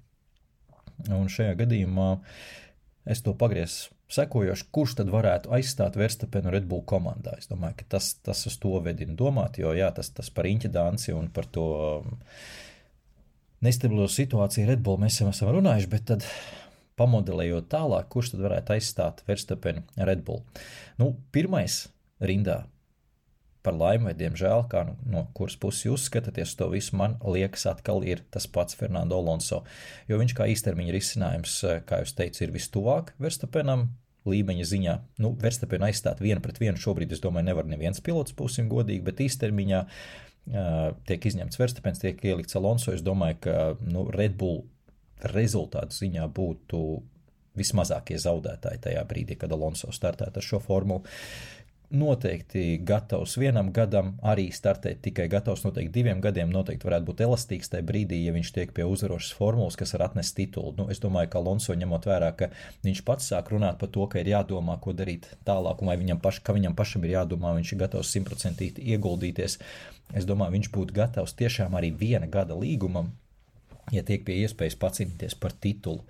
Un šajā gadījumā es to pagriezu sekojoši, kurš tad varētu aizstāt Verstappenu Red Bull komandā. Es domāju, ka tas uz to vedina domāt, jo jā, tas par riņķa danci un par to nestabilo situāciju Red Bull mēs jau esam runājuši, bet tad pamodelējot tālāk, kurš tad varētu aizstāt Verstappenu Red Bull. Pirmais rindā par laimi vai diemžēl, kā no kuras puses jūs skatāties to visu, man liekas atkal ir tas pats Fernando Alonso, jo viņš kā īstermiņa risinājums, kā jūs teicu, ir vistuvāk Verstappenam līmeņa ziņā. Verstappenu aizstāt 1-1 šobrīd, es domāju, nevar neviens pilots, būsim godīgi, bet īstermiņā tiek izņemts Verstappens, tiek ielikts Alonso. Es domāju, ka Red Bull rezultātu ziņā būtu vismazākie zaudētāji tajā brīdī, kad Alonso startētu ar šo formulu. Noteikti gatavs 1 gadam, arī startēt tikai gatavs noteikti 2 gadiem, noteikti varētu būt elastīgs tajā brīdī, ja viņš tiek pie uzvarošas formulas, kas var atnest titulu. Es domāju, ka Alonso ņemot vērā, ka viņš pats sāk runāt par to, ka ir jādomā, ko darīt tālāk, un vai viņam pašam ir jādomā, viņš ir gatavs 100% ieguldīties. Es domāju, viņš būtu gatavs tiešām arī 1 gada līgumam, ja tiek pie iespējas pacīnīties par titulu.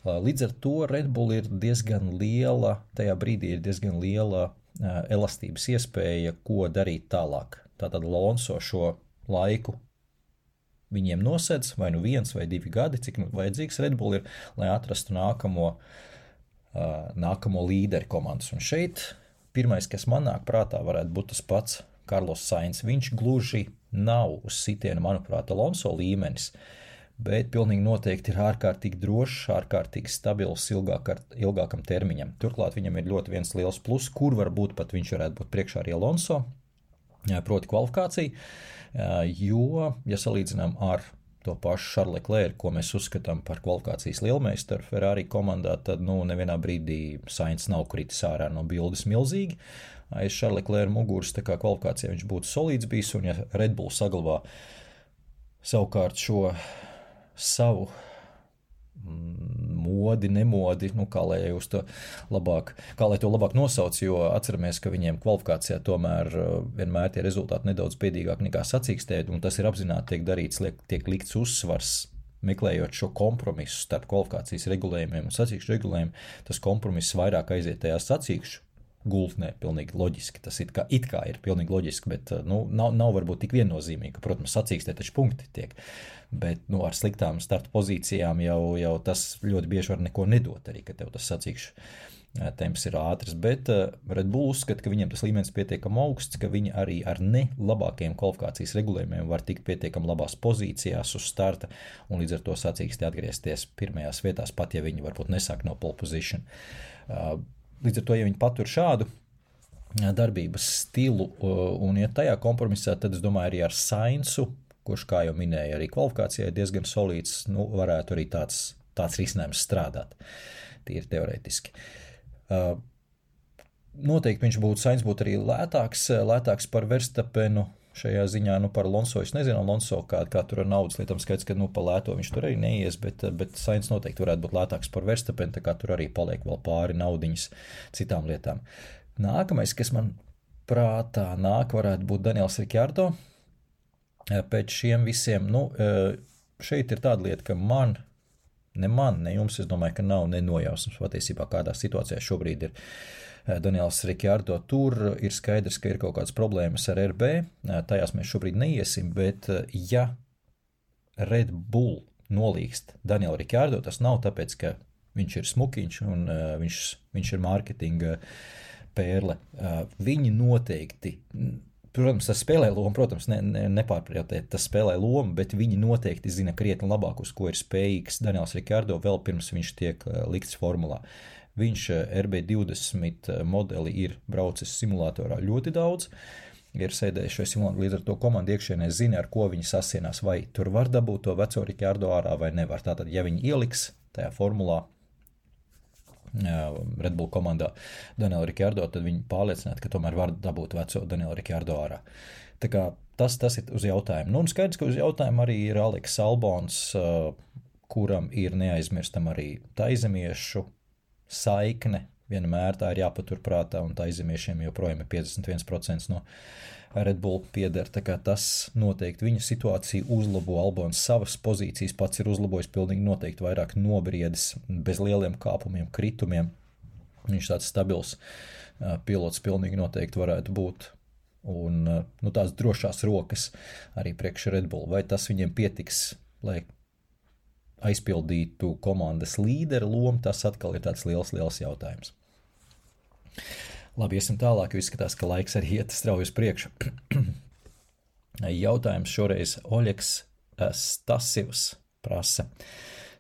Līdz ar to Red Bull ir diezgan liela, tajā brīdī ir diezgan liela elastības iespēja, ko darīt tālāk. Tātad Alonso šo laiku viņiem nosedz, vai 1 vai 2 gadi, cik vajadzīgs Red Bull ir, lai atrastu nākamo līderi komandas. Un šeit pirmais, kas man nāk prātā, varētu būt tas pats Carlos Sainz. Viņš gluži nav uz sitienu, manuprāt, Alonso līmenis, bet pilnīgi noteikti ir ārkārtīgi drošs, ārkārtīgi stabils ilgākam termiņam. Turklāt viņam ir ļoti viens liels plus, kur varbūt pat viņš varētu būt priekšā arī Alonso, proti kvalifikācija, jo, ja salīdzinām ar to pašu Charles Leclerc, ko mēs uzskatām par kvalifikācijas lielmeistaru Ferrari komandā, tad nevienā brīdī Sainz nav kritis ārā no bildes milzīgi. Aiz Charles Leclerc muguras, tā kā kvalifikācijā viņš būtu solīds bijis, un ja Red Bull saglabā savukārt šo savu modi, nemodi, kā lai to labāk nosauc, jo atceramies, ka viņiem kvalifikācijā tomēr vienmēr tie rezultāti nedaudz bēdīgāk nekā sacīkstē, un tas ir apzināti tiek darīts, tiek likts uzsvars, meklējot šo kompromisu starp kvalifikācijas regulējumiem un sacīkšu regulējumu, tas kompromiss vairāk aiziet tajā sacīkšu gultnē, pilnīgi loģiski, tas it kā ir pilnīgi loģiski, bet nav varbūt tik viennozīmīgi, ka, protams, sacīkstē taču punkti tiek, bet ar sliktām starta pozīcijām jau tas ļoti bieži var neko nedot arī, ka tev tas sacīkšu temps ir ātrs, bet Red Bull uzskata, ka viņiem tas līmenis pietiekami augsts, ka viņi arī ar ne labākiem kvalifikācijas regulējumiem var tikt pietiekami labās pozīcijās uz starta un līdz ar to sacīkstē atgriezties pirmajās vietās, pat ja viņi varbūt nesāk no pole position. Līdz ar to, ja viņi patur šādu darbības stilu un iet tajā kompromisā, tad es domāju arī ar Sainzu, kurš, kā jau minēja, arī kvalifikācijai diezgan solīds, varētu arī tāds risinājums strādāt, tīri teorētiski. Noteikti Sainz būtu arī lētāks par Verstappenu šajā ziņā, par Alonso. Es nezinu, Alonso, kā tur ar naudas lietām skaits, ka pa lēto viņš tur arī neies, bet Sainz noteikti varētu būt lētāks par Verstappenu, tā kā tur arī paliek vēl pāri naudiņas citām lietām. Nākamais, kas man prātā nāk, varētu būt Daniels Ricciardo. Pēc šiem visiem, šeit ir tāda lieta, ka ne jums, es domāju, ka nav nenojausmas patiesībā, kādā situācijā šobrīd ir Daniels Ricciardo. Tur ir skaidrs, ka ir kaut kādas problēmas ar RB, tajās mēs šobrīd neiesim, bet ja Red Bull nolīgst Danielu Ricciardo, tas nav tāpēc, ka viņš ir smukiņš un viņš ir mārketinga pērle. Viņi noteikti, protams, tas spēlē lomu, protams, nepārprotiet, tas spēlē lomu, bet viņi noteikti zina krietni labāk, uz ko ir spējīgs Daniels Ricciardo vēl pirms viņš tiek likts formulā. Viņš RB20 modeli ir braucis simulatorā ļoti daudz, ir sēdējis šajā simulatorā, līdz ar to komanda iekšienē zina, ar ko viņi sasienās, vai tur var dabūt to veco Ricciardo ārā vai nevar. Tātad, ja viņi ieliks tajā formulā Red Bull komandā Danielu Ricciardo, tad viņi pārliecināti, ka tomēr var dabūt veco Danielu Ricciardo ārā. Tā kā tas ir uz jautājumu. Un skaidrs, ka uz jautājumu arī ir Alex Albons, kuram ir neaizmirstam arī taizemiešu saikne, vienmēr tā ir jāpaturprātā, un taizemiešiem joprojām ir 51% no Red Bull pieder, tā kā tas noteikti viņa situāciju uzlabo. Albons savas pozīcijas pats ir uzlabojis pilnīgi noteikti vairāk nobriedis, bez lieliem kāpumiem, kritumiem. Viņš tāds stabils pilots pilnīgi noteikti varētu būt. Un tās drošās rokas arī priekš Red Bull. Vai tas viņiem pietiks, lai aizpildītu komandas līdera lomu, tas atkal ir tāds liels jautājums. Labi, iesim tālāk, jo izskatās, ka laiks arī iet strauji uz priekšu. Jautājums šoreiz Oļeks Stasivs prasa.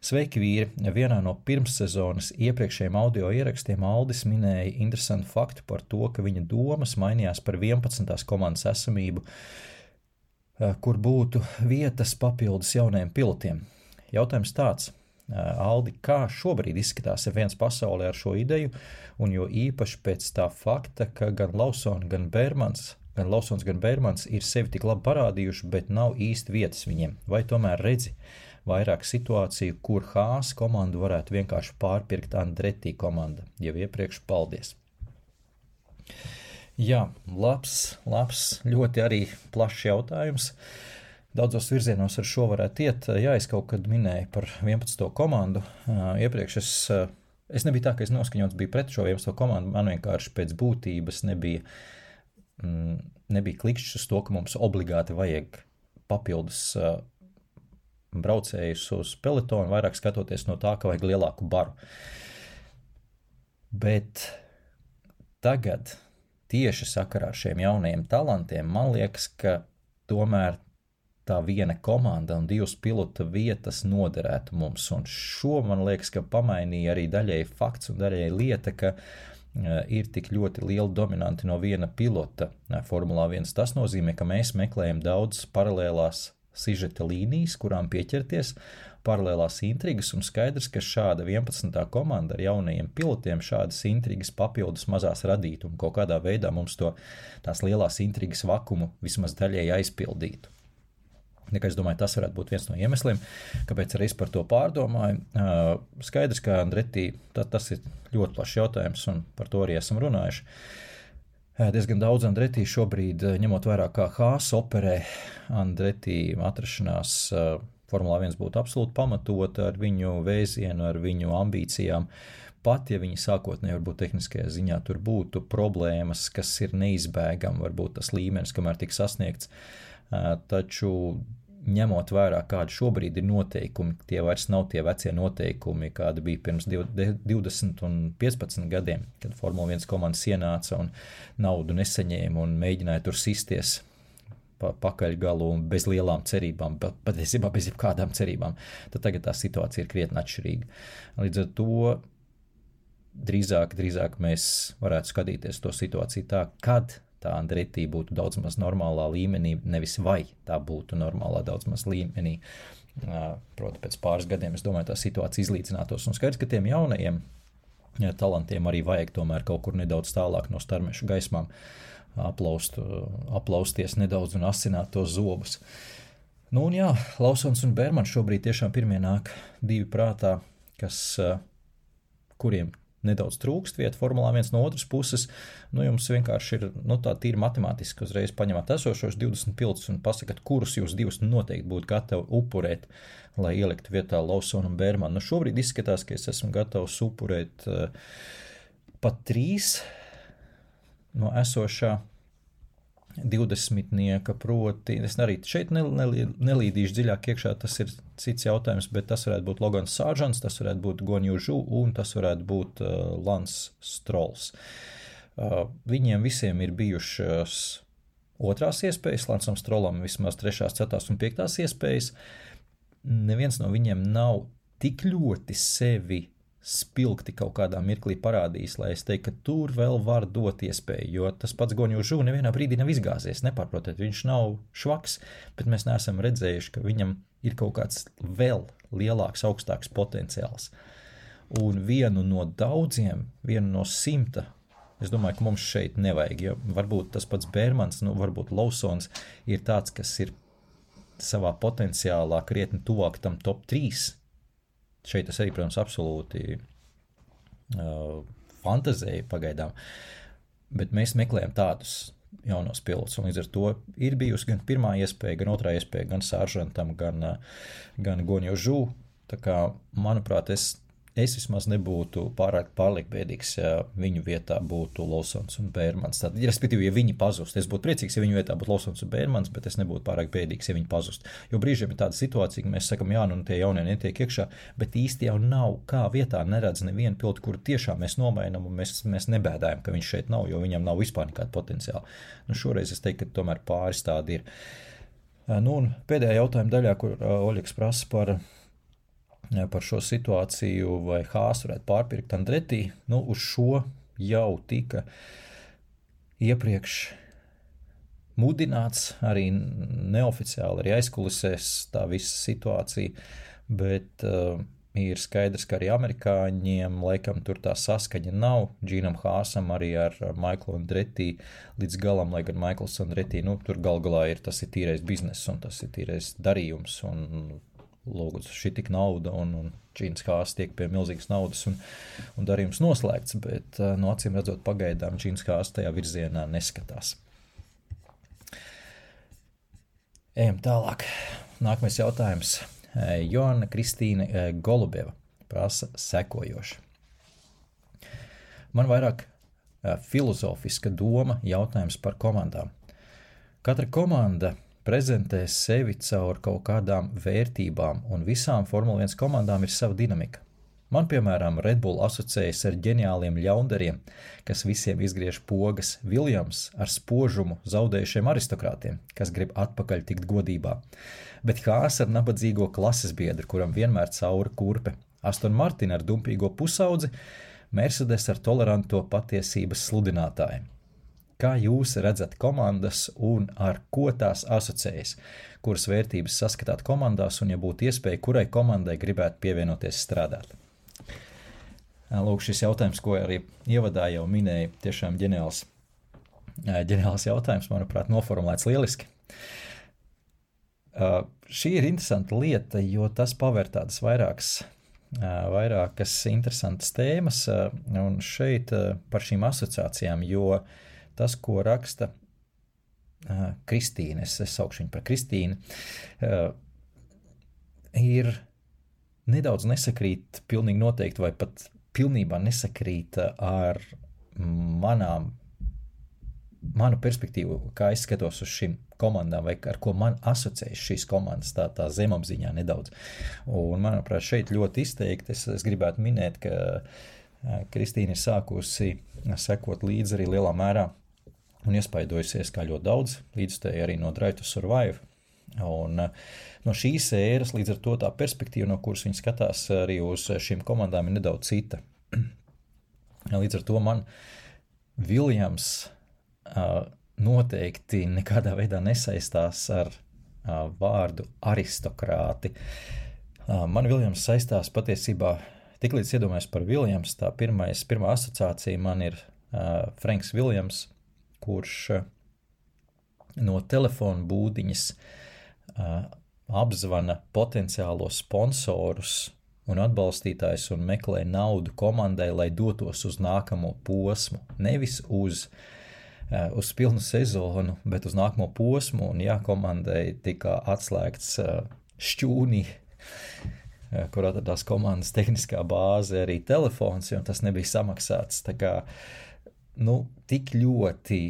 Sveiki, vīri! Vienā no pirmssezonas iepriekšējiem audio ierakstiem Aldis minēja interesantu faktu par to, ka viņa domas mainījās par 11. komandas esamību, kur būtu vietas papildus jaunajiem pilotiem. Jautājums tāds. Aldi, kā šobrīd izskatās F1 pasaulē ar šo ideju, un jo īpaši pēc tā fakta, ka gan Lawsons, gan Bērmans ir sevi tik labi parādījuši, bet nav īsti vietas viņiem. Vai tomēr redzi vairāk situāciju, kur Haas komandu varētu vienkārši pārpirkt Andretti komanda? Jau iepriekš paldies. Jā, labs, ļoti arī plašs jautājums. Daudzos virzienos ar šo varētu iet. Jā, es kaut kad minēju par 11. komandu. Iepriekš es nebija tā, ka es noskaņots biju pret šo 11. komandu. Man vienkārši pēc būtības nebija klikšķis uz to, ka mums obligāti vajag papildus braucējus uz pelotonu, vairāk skatoties no tā, ka vajag lielāku baru. Bet tagad tieši sakarā ar šiem jaunajiem talantiem man liekas, ka tomēr tā viena komanda un 2 pilota vietas noderētu mums, un šo man liekas, ka pamainīja arī daļēji fakts un daļēji lieta, ka ir tik ļoti liela dominanti no viena pilota Formulā 1. Tas nozīmē, ka mēs meklējam daudz paralēlās sižeta līnijas, kurām pieķerties, paralēlās intrigas, un skaidrs, ka šāda 11. komanda ar jaunajiem pilotiem šādas intrigas papildus mazās radītu un kaut kādā veidā mums tās lielās intrigas vakumu vismaz daļēji aizpildītu. Es domāju, tas varētu būt viens no iemesliem, kāpēc arī es par to pārdomāju. Skaidrs, ka Andretti, tas ir ļoti plašs jautājums, un par to arī esam runājuši. Diezgan daudz Andretti šobrīd, ņemot vērā, kā Haas operē, Andretti atrašanās Formulā 1 būtu absolūti pamatota ar viņu vēzienu, ar viņu ambīcijām. Pat, ja viņi sākotnēji varbūt tehniskajā ziņā tur būtu problēmas, kas ir neizbēgami, varbūt tas līmenis, kamēr tiks sasniegts, taču ņemot vērā, kādi šobrīd ir noteikumi, tie vairs nav tie vecie noteikumi, kādi bija pirms 20 un 15 gadiem, kad Formula 1 komandas ienāca un naudu nesaņēma un mēģināja tur sisties pakaļgalu un bez lielām cerībām, patiesībā bez jebkādām cerībām, tad tagad tā situācija ir krietni atšķirīga. Līdz ar to drīzāk mēs varētu skatīties to situāciju tā, kad tā Andretti būtu daudz maz normālā līmenī, nevis vai tā būtu normālā daudz maz līmenī. Proti, pēc pāris gadiem, es domāju, tā situācija izlīdzinātos. Un skaidrs, ka tiem jaunajiem talantiem arī vajag tomēr kaut kur nedaudz tālāk no starmešu gaismām aplausties nedaudz un asināt tos zobus. Nu un jā, Lawsons un Bermans šobrīd tiešām pirmie nāk divi prātā, kuriem nedaudz trūkst vieta Formulā 1 no otras puses, jums vienkārši ir, tā tīri matemātiski uzreiz paņemat esošos 20 pilotus un pasakat, kurus jūs divus noteikti būtu gatavi upurēt, lai ieliktu vietā Lawsonu un Bermanu. Šobrīd izskatās, ka es esmu gatavs upurēt pat 3 no esošā 20-nieka, proti, es arī šeit nelīdīšu dziļāk iekšā, tas ir cits jautājums, bet tas varētu būt Logans Sargents, tas varētu būt Guan Yu Zhou un tas varētu būt Lance Strolls. Viņiem visiem ir bijušas otrās iespējas, Lancam Strollam vismaz 3., 4. un 5. iespējas. Neviens no viņiem nav tik ļoti sevi spilgti kaut kādā mirklī parādījis, lai es teiktu, ka tur vēl var dot iespēju, jo tas pats Guan Yu Zhou nevienā brīdī nav izgāzies, nepārprotiet, viņš nav švaks, bet mēs neesam redzējuši, ka viņam ir kaut kāds vēl lielāks, augstāks potenciāls. Un vienu no daudziem, vienu no 100, es domāju, ka mums šeit nevajag, jo varbūt tas pats Bermans, varbūt Lawsons ir tāds, kas ir savā potenciālā krietni tuvāk tam top 3. Šeit es arī, protams, absolūti fantazēju pagaidām, bet mēs meklējam tādus jaunos pilotus, un līdz ar to ir bijusi gan pirmā iespēja, gan otrā iespēja, gan Sargentam, gan Guan Yu Zhou. Tā kā, manuprāt, es vismaz nebūtu pārliek bēdīgs, ja viņu vietā būtu Lawsons un Bermans. Tad, respektīvi, ja viņi pazust, es būtu priecīgs, ja viņu vietā būtu Lawsons un Bermans, bet es nebūtu pārāk bēdīgs, ja viņi pazust. Jo brīžiem ir tāda situācija, ka mēs sakam, jā, tie jaunie netiek iekšā, bet īsti jau nav kā vietā neredz nevienu pilotu, kuru tiešām mēs nomainam un mēs nebēdājam, ka viņš šeit nav, jo viņam nav vispār nekāda potenciāla. Šoreiz es teiktu, ka tomēr pāris tādi ir. Un pēdējā jautājuma daļā, kur Oļegs prasa par šo situāciju, vai Haas varētu pārpirkt Andretti, uz šo jau tika iepriekš mudināts, arī neoficiāli, arī aizkulisēs tā visa situācija, bet ir skaidrs, ka arī amerikāņiem laikam tur tā saskaņa nav, Džīnam Haasam arī ar Maiklu Andretti līdz galam, lai gan Maikls Andretti, tur galā tas ir tīrais biznes un tas ir tīrais darījums un lūgums šī tik nauda un Džīns Haas tiek pie milzīgas naudas un darījums noslēgts, bet acīm redzot pagaidām Džīns Haas tajā virzienā neskatās. Ejam tālāk. Nākamais jautājums. Joanna Kristīne Golubeva prasa sekojoši. Man vairāk filozofiska doma jautājums par komandām. Katra komanda prezentē sevi caur kaut kādām vērtībām, un visām Formula 1 komandām ir sava dinamika. Man, piemēram, Red Bull asociējas ar ģeniāliem ļaundariem, kas visiem izgriež pogas, Williams ar spožumu zaudējušiem aristokrātiem, kas grib atpakaļ tikt godībā. Bet Haas ar nabadzīgo klases biedru, kuram vienmēr cauri kurpe, Aston Martin ar dumpīgo pusaudzi, Mercedes ar toleranto patiesības sludinātāju. Kā jūs redzat komandas un ar ko tās asociējas? Kuras vērtības saskatāt komandās un, ja būtu iespēja, kurai komandai gribētu pievienoties strādāt? Lūk, šis jautājums, ko arī ievadā jau minēja, tiešām ģeniāls jautājums, manuprāt, noformulēts lieliski. Šī ir interesanta lieta, jo tas paver tādas vairākas interesantas tēmas, un šeit par šīm asociācijām, jo tas, ko raksta Kristīne, es saukšu viņu par Kristīnu, ir nedaudz nesakrīt pilnīgi noteikti, vai pat pilnībā nesakrīt ar manu perspektīvu, kā es skatos uz šīm komandām, vai ar ko man asociējas šīs komandas, tā zemapziņā nedaudz. Un, manuprāt, šeit ļoti izteikti es gribētu minēt, ka Kristīna ir sākusi sekot līdzi arī lielā mērā un iespaidojusies kā ļoti daudz, līdzstēji arī no Drive to Survive. Un no šīs ēras, līdz ar to tā perspektīva, no kuras viņi skatās arī uz šīm komandām, ir nedaudz cita. Līdz ar to man Viljams noteikti nekādā veidā nesaistās ar vārdu aristokrāti. Man Viljams saistās patiesībā, tiklīdz iedomājos par Viljams, tā pirmā asociācija man ir Franks Viljams, kurš no telefona būdiņas apzvana potenciālos sponsorus un atbalstītājus un meklē naudu komandai, lai dotos uz nākamo posmu, nevis uz pilnu sezonu, bet uz nākamo posmu, un komandai tika atslēgts šķūnī, kur atradās komandas tehniskā bāze, arī telefons, un tas nebija samaksāts. Tā kā, tik ļoti,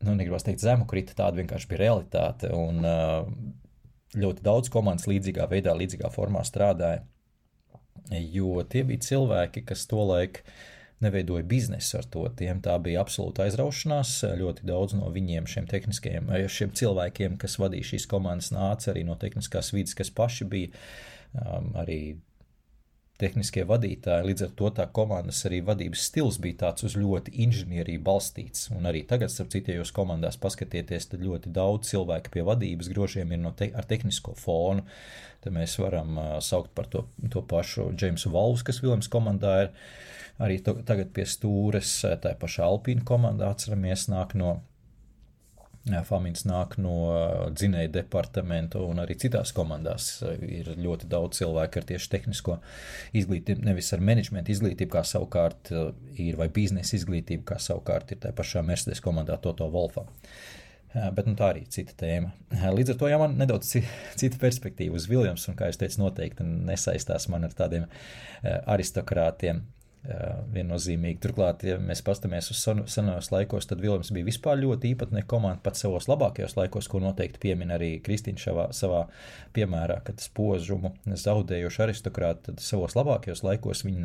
negribas teikt zemu krita, tāda vienkārši bija realitāte, un ļoti daudz komandas līdzīgā veidā, līdzīgā formā strādāja, jo tie bija cilvēki, kas tolaik neveidoja biznesu ar to, tiem tā bija absolūta aizraušanās, ļoti daudz no viņiem šiem cilvēkiem, kas vadīja šīs komandas, nāca arī no tehniskās vides, kas paši bija arī tehniskie vadītāji, līdz ar to tā komandas arī vadības stils bija tāds uz ļoti inženieriju balstīts, un arī tagad, starp citu, ja jūs komandās paskatieties, tad ļoti daudz cilvēku pie vadības grožiem ir ar tehnisko fonu, tad mēs varam saukt par to pašu Jamesu Valvs, kas Viljams komandā ir, arī tagad pie stūres, tā paša Alpīna komandā, atceramies, Famins nāk no dzinēja departamenta, un arī citās komandās ir ļoti daudz cilvēku ar tieši tehnisko izglītību, nevis ar menedžmenta izglītību, kā savukārt ir, vai biznesa izglītību, kā savukārt ir tā pašā Mercedes komandā Toto Wolffā. Bet tā arī cita tēma. Līdz ar to man nedaudz cita perspektīva uz Viljams, un kā es teicu, noteikti nesaistās man ar tādiem aristokrātiem. Viennozīmīgi. Turklāt, ja mēs pastamies uz senajos laikos, tad Viljams bija vispār ļoti īpatnē komanda pat savos labākajos laikos, ko noteikti piemin arī Kristīna savā piemērā, kad spožumu zaudējuši aristokrāti, tad savos labākajos laikos viņi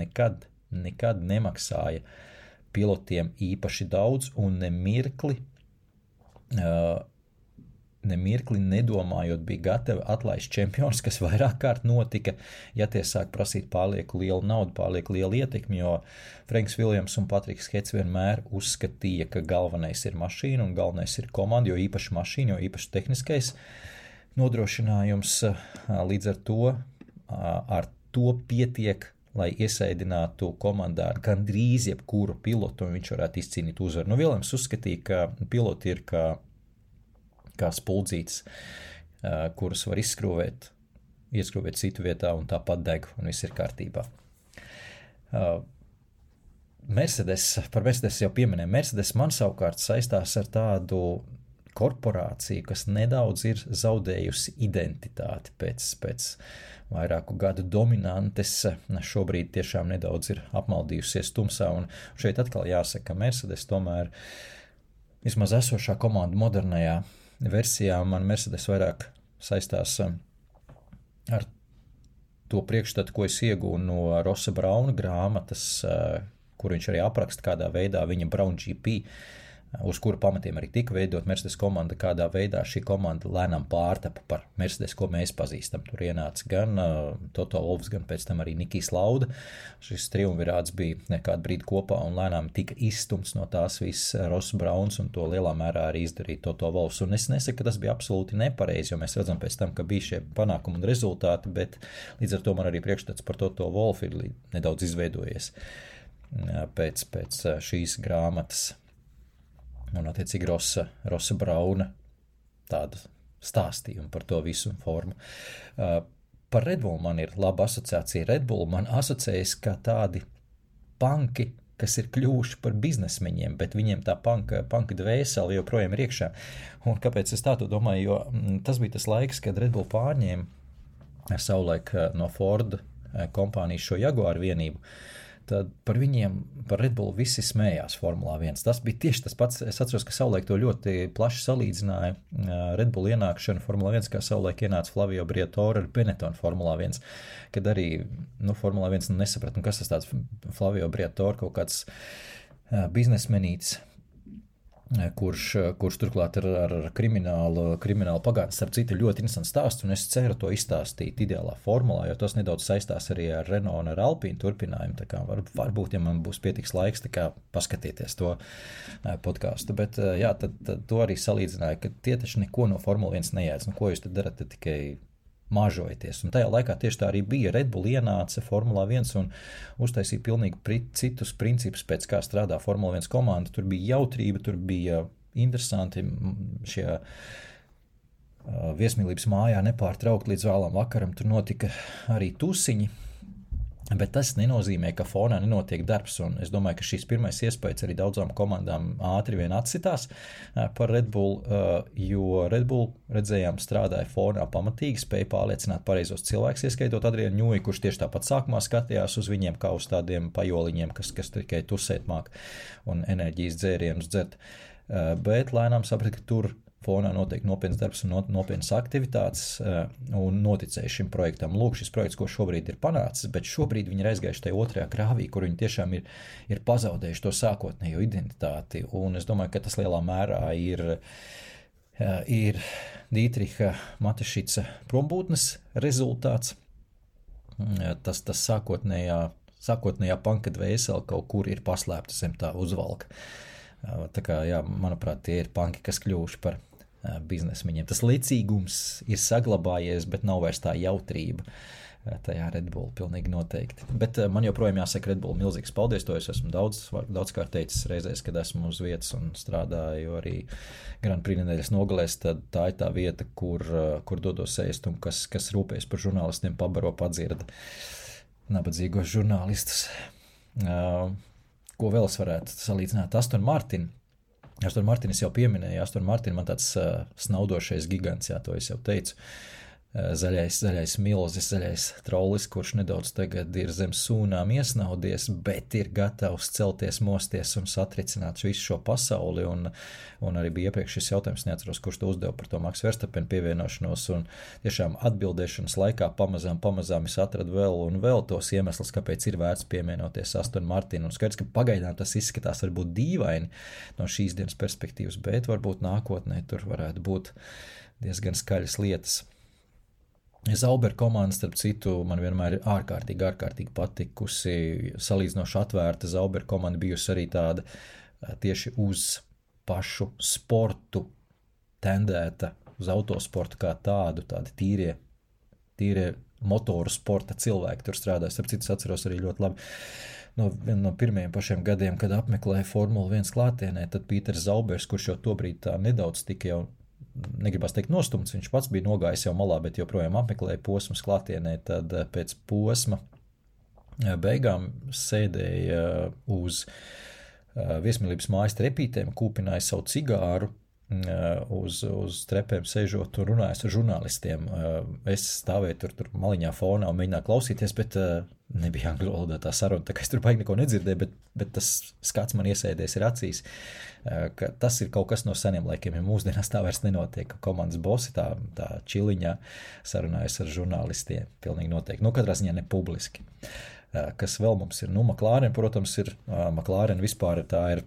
nekad nemaksāja pilotiem īpaši daudz un nemirkli nedomājot bija gatavi atlaist čempionus, kas vairāk kārt notika, ja tie sāk prasīt pārlieku lielu naudu, pārlieku lielu ietekmi, jo Franks Viljams un Patriks Hets vienmēr uzskatīja, ka galvenais ir mašīna un galvenais ir komanda, jo īpaši mašīna, jo īpaši tehniskais nodrošinājums, līdz ar to pietiek, lai iesaidinātu komandā gandrīz jebkuru pilotu un viņš varētu izcīnīt uzvaru. Viljams uzskatīja, ka piloti ir kā spuldzītes, kuras var ieskrūvēt citu vietā un tāpat deg, un viss ir kārtībā. Par Mercedes jau pieminēju. Mercedes man savukārt saistās ar tādu korporāciju, kas nedaudz ir zaudējusi identitāti pēc vairāku gadu dominantes, šobrīd tiešām nedaudz ir apmaldījusies tumsā, un šeit atkal jāsaka, ka Mercedes tomēr vismaz esošā komanda modernajā versijā man Mercedes vairāk saistās ar to priekšstatu, ko es iegūnu no Rossa Brauna grāmatas, kur viņš arī apraksta, kādā veidā viņa Brown GP uz kura pamatiem arī tika veidot Mercedes komanda, kādā veidā šī komanda lēnām pārtapa par Mercedes, ko mēs pazīstam. Tur ienāca gan Toto Wolffs, gan pēc tam arī Nikijs Lauda. Šis triumvirāts bija kādu brīdi kopā un lēnām tika izstumts no tās viss Ross Brauns, un to lielā mērā arī izdarīja Toto Wolffs. Un es nesaku, ka tas bija absolūti nepareizi, jo mēs redzam pēc tam, ka bija šie panākumi un rezultāti, bet līdz ar to man arī priekšstats par Toto Wolffu ir nedaudz izveidojies pēc šīs grāmatas. Un attiecīgi Rossa Brauna tādu stāstījumu par to visu formu. Par Red Bull man ir laba asociācija. Red Bull man asociējas kā tādi panki, kas ir kļuvuši par biznesmeņiem, bet viņiem tā panka dvēseli joprojām ir iekšā. Un kāpēc es tā to domāju? Jo tas bija tas laiks, kad Red Bull pārņēma savulaik no Ford kompānijas šo Jaguar vienību. Tad par viņiem, par Red Bull visi smējās Formulā 1. Tas bija tieši tas pats. Es atceros, ka savulaik to ļoti plaši salīdzināja Red Bull ienākšanu Formulā 1, kā savulaik ienāca Flavio Briatore ar Benetton Formulā 1, kad arī Formulā 1 nesaprat, kas tas tāds Flavio Briatore, kaut kāds biznesmenītis, kurš turklāt ar kriminālu pagātni. Starp citu, ļoti interesants stāsts, un es ceru to izstāstīt ideālā formulā, jo tas nedaudz saistās arī ar Renault un ar Alpine turpinājumu. Tā kā varbūt, ja man būs pietiks laiks, tā kā paskatieties to podcastu. Bet jā, tad to arī salīdzināja, ka tie taču neko no Formula 1 nejēdz. Ko jūs tad darat, tad tikai mažojoties. Un tajā laikā tieši tā arī bija. Red Bull ienāca Formulā 1 un uztaisīja pilnīgi citus principus, pēc kā strādā Formula 1 komanda. Tur bija jautrība, tur bija interesanti šie viesmīlības mājā nepārtraukt līdz vēlam vakaram. Tur notika arī tusiņi, bet tas nenozīmē, ka fonā nenotiek darbs. Un es domāju, ka šīs pirmais iespējas arī daudzām komandām ātri vien atsitās par Red Bull, jo Red Bull, redzējām, strādāja fonā pamatīgi, spēja pārliecināt pareizos cilvēkus, ieskaitot Adrianu Ņūju, kurš tieši tāpat sākumā skatījās uz viņiem kā uz tādiem pajoliņiem, kas tikai tusēt māk un enerģijas dzērienus dzert. Bet lēnām saprat, ka tur fonā notiek nopietns darbs un nopietnas aktivitātes un noticēja šim projektam. Lūk, šis projekts, ko šobrīd ir panācis, bet šobrīd viņi ir aizgājuši tajā otrajā grāvī, kur viņi tiešām ir pazaudējuši to sākotnējo identitāti. Un es domāju, ka tas lielā mērā ir Dītriha Matešica prombūtnes rezultāts. Tas sākotnējā panka dvēsele kaut kur ir paslēpta zem tā uzvalka. Tā kā, jā, manuprāt, tie ir panki, kas kļuvuši par biznesmeņiem. Tas licīgums ir saglabājies, bet nav vairs tā jautrība tajā Red Bull, pilnīgi noteikti. Bet man joprojām jāsaka Red Bull milzīgs paldies, to es esmu daudzkārt teicis reizēs, kad esmu uz vietas un strādāju arī Grand Prix nedēļas nogalēs, tad tā ir tā vieta, kur dodos ēst un kas rūpējas par žurnālistiem, pabaro, padzirda nabadzīgos žurnālistus. Ko vēl es varētu salīdzināt? Aston Martin es jau pieminēju. Aston Martin man tāds snaudošais gigants, jā, to es jau teicu. Zaļais milzis, zaļais trollis, kurš nedaudz tagad ir zem sūnām iesnaudies, bet ir gatavs celties, mosties un satricināt visu šo pasauli. Un arī bija iepriekš šis jautājums, neatceros, kurš to uzdeva par to Max Verstappen pievienošanos. Un tiešām atbildēšanas laikā pamazām es atradu vēl un vēl tos iemeslus, kāpēc ir vērts pievienoties Aston Martin. Un skaidrs, ka pagaidām tas izskatās varbūt dīvaini no šīs dienas perspektīvas, bet varbūt nākotnē tur varētu būt diezgan skaļas lietas. Sauber komanda, starp citu, man vienmēr ir ārkārtīgi patikusi. Salīdzinoši atvērta Sauber komanda bijusi arī tāda tieši uz pašu sportu tendēta, uz autosportu kā tādu, tādi tīrie motoru sporta cilvēki tur strādāja. Starp citu, atceros arī ļoti labi no pirmajiem pašiem gadiem, kad apmeklēja Formula 1 klātienē, tad Pīters Zaubers, kurš jau tobrīd tā nedaudz tika jau negribas teikt nostumts, viņš pats bija nogājis jau malā, bet joprojām apmeklēja posmas klātienē, tad pēc posma beigām sēdēja uz viesmīlības mājas trepītēm, kūpināja savu cigāru, uz trepēm sēžot un runājot ar žurnālistiem. Es stāvēju tur maliņā fonā un mēģināju klausīties, bet nebija angļu valodā tā saruna, tā kā es tur baigi neko nedzirdēju, bet tas skats man iesēdies ir acīs, ka tas ir kaut kas no seniem laikiem, ja mūsdienās tā vairs nenotiek, ka komandas bosi tā čiliņā sarunājas ar žurnālistiem, pilnīgi noteikti. Katrā ziņā ne publiski. Kas vēl mums ir? McLaren, protams, ir McLaren vispār tā ir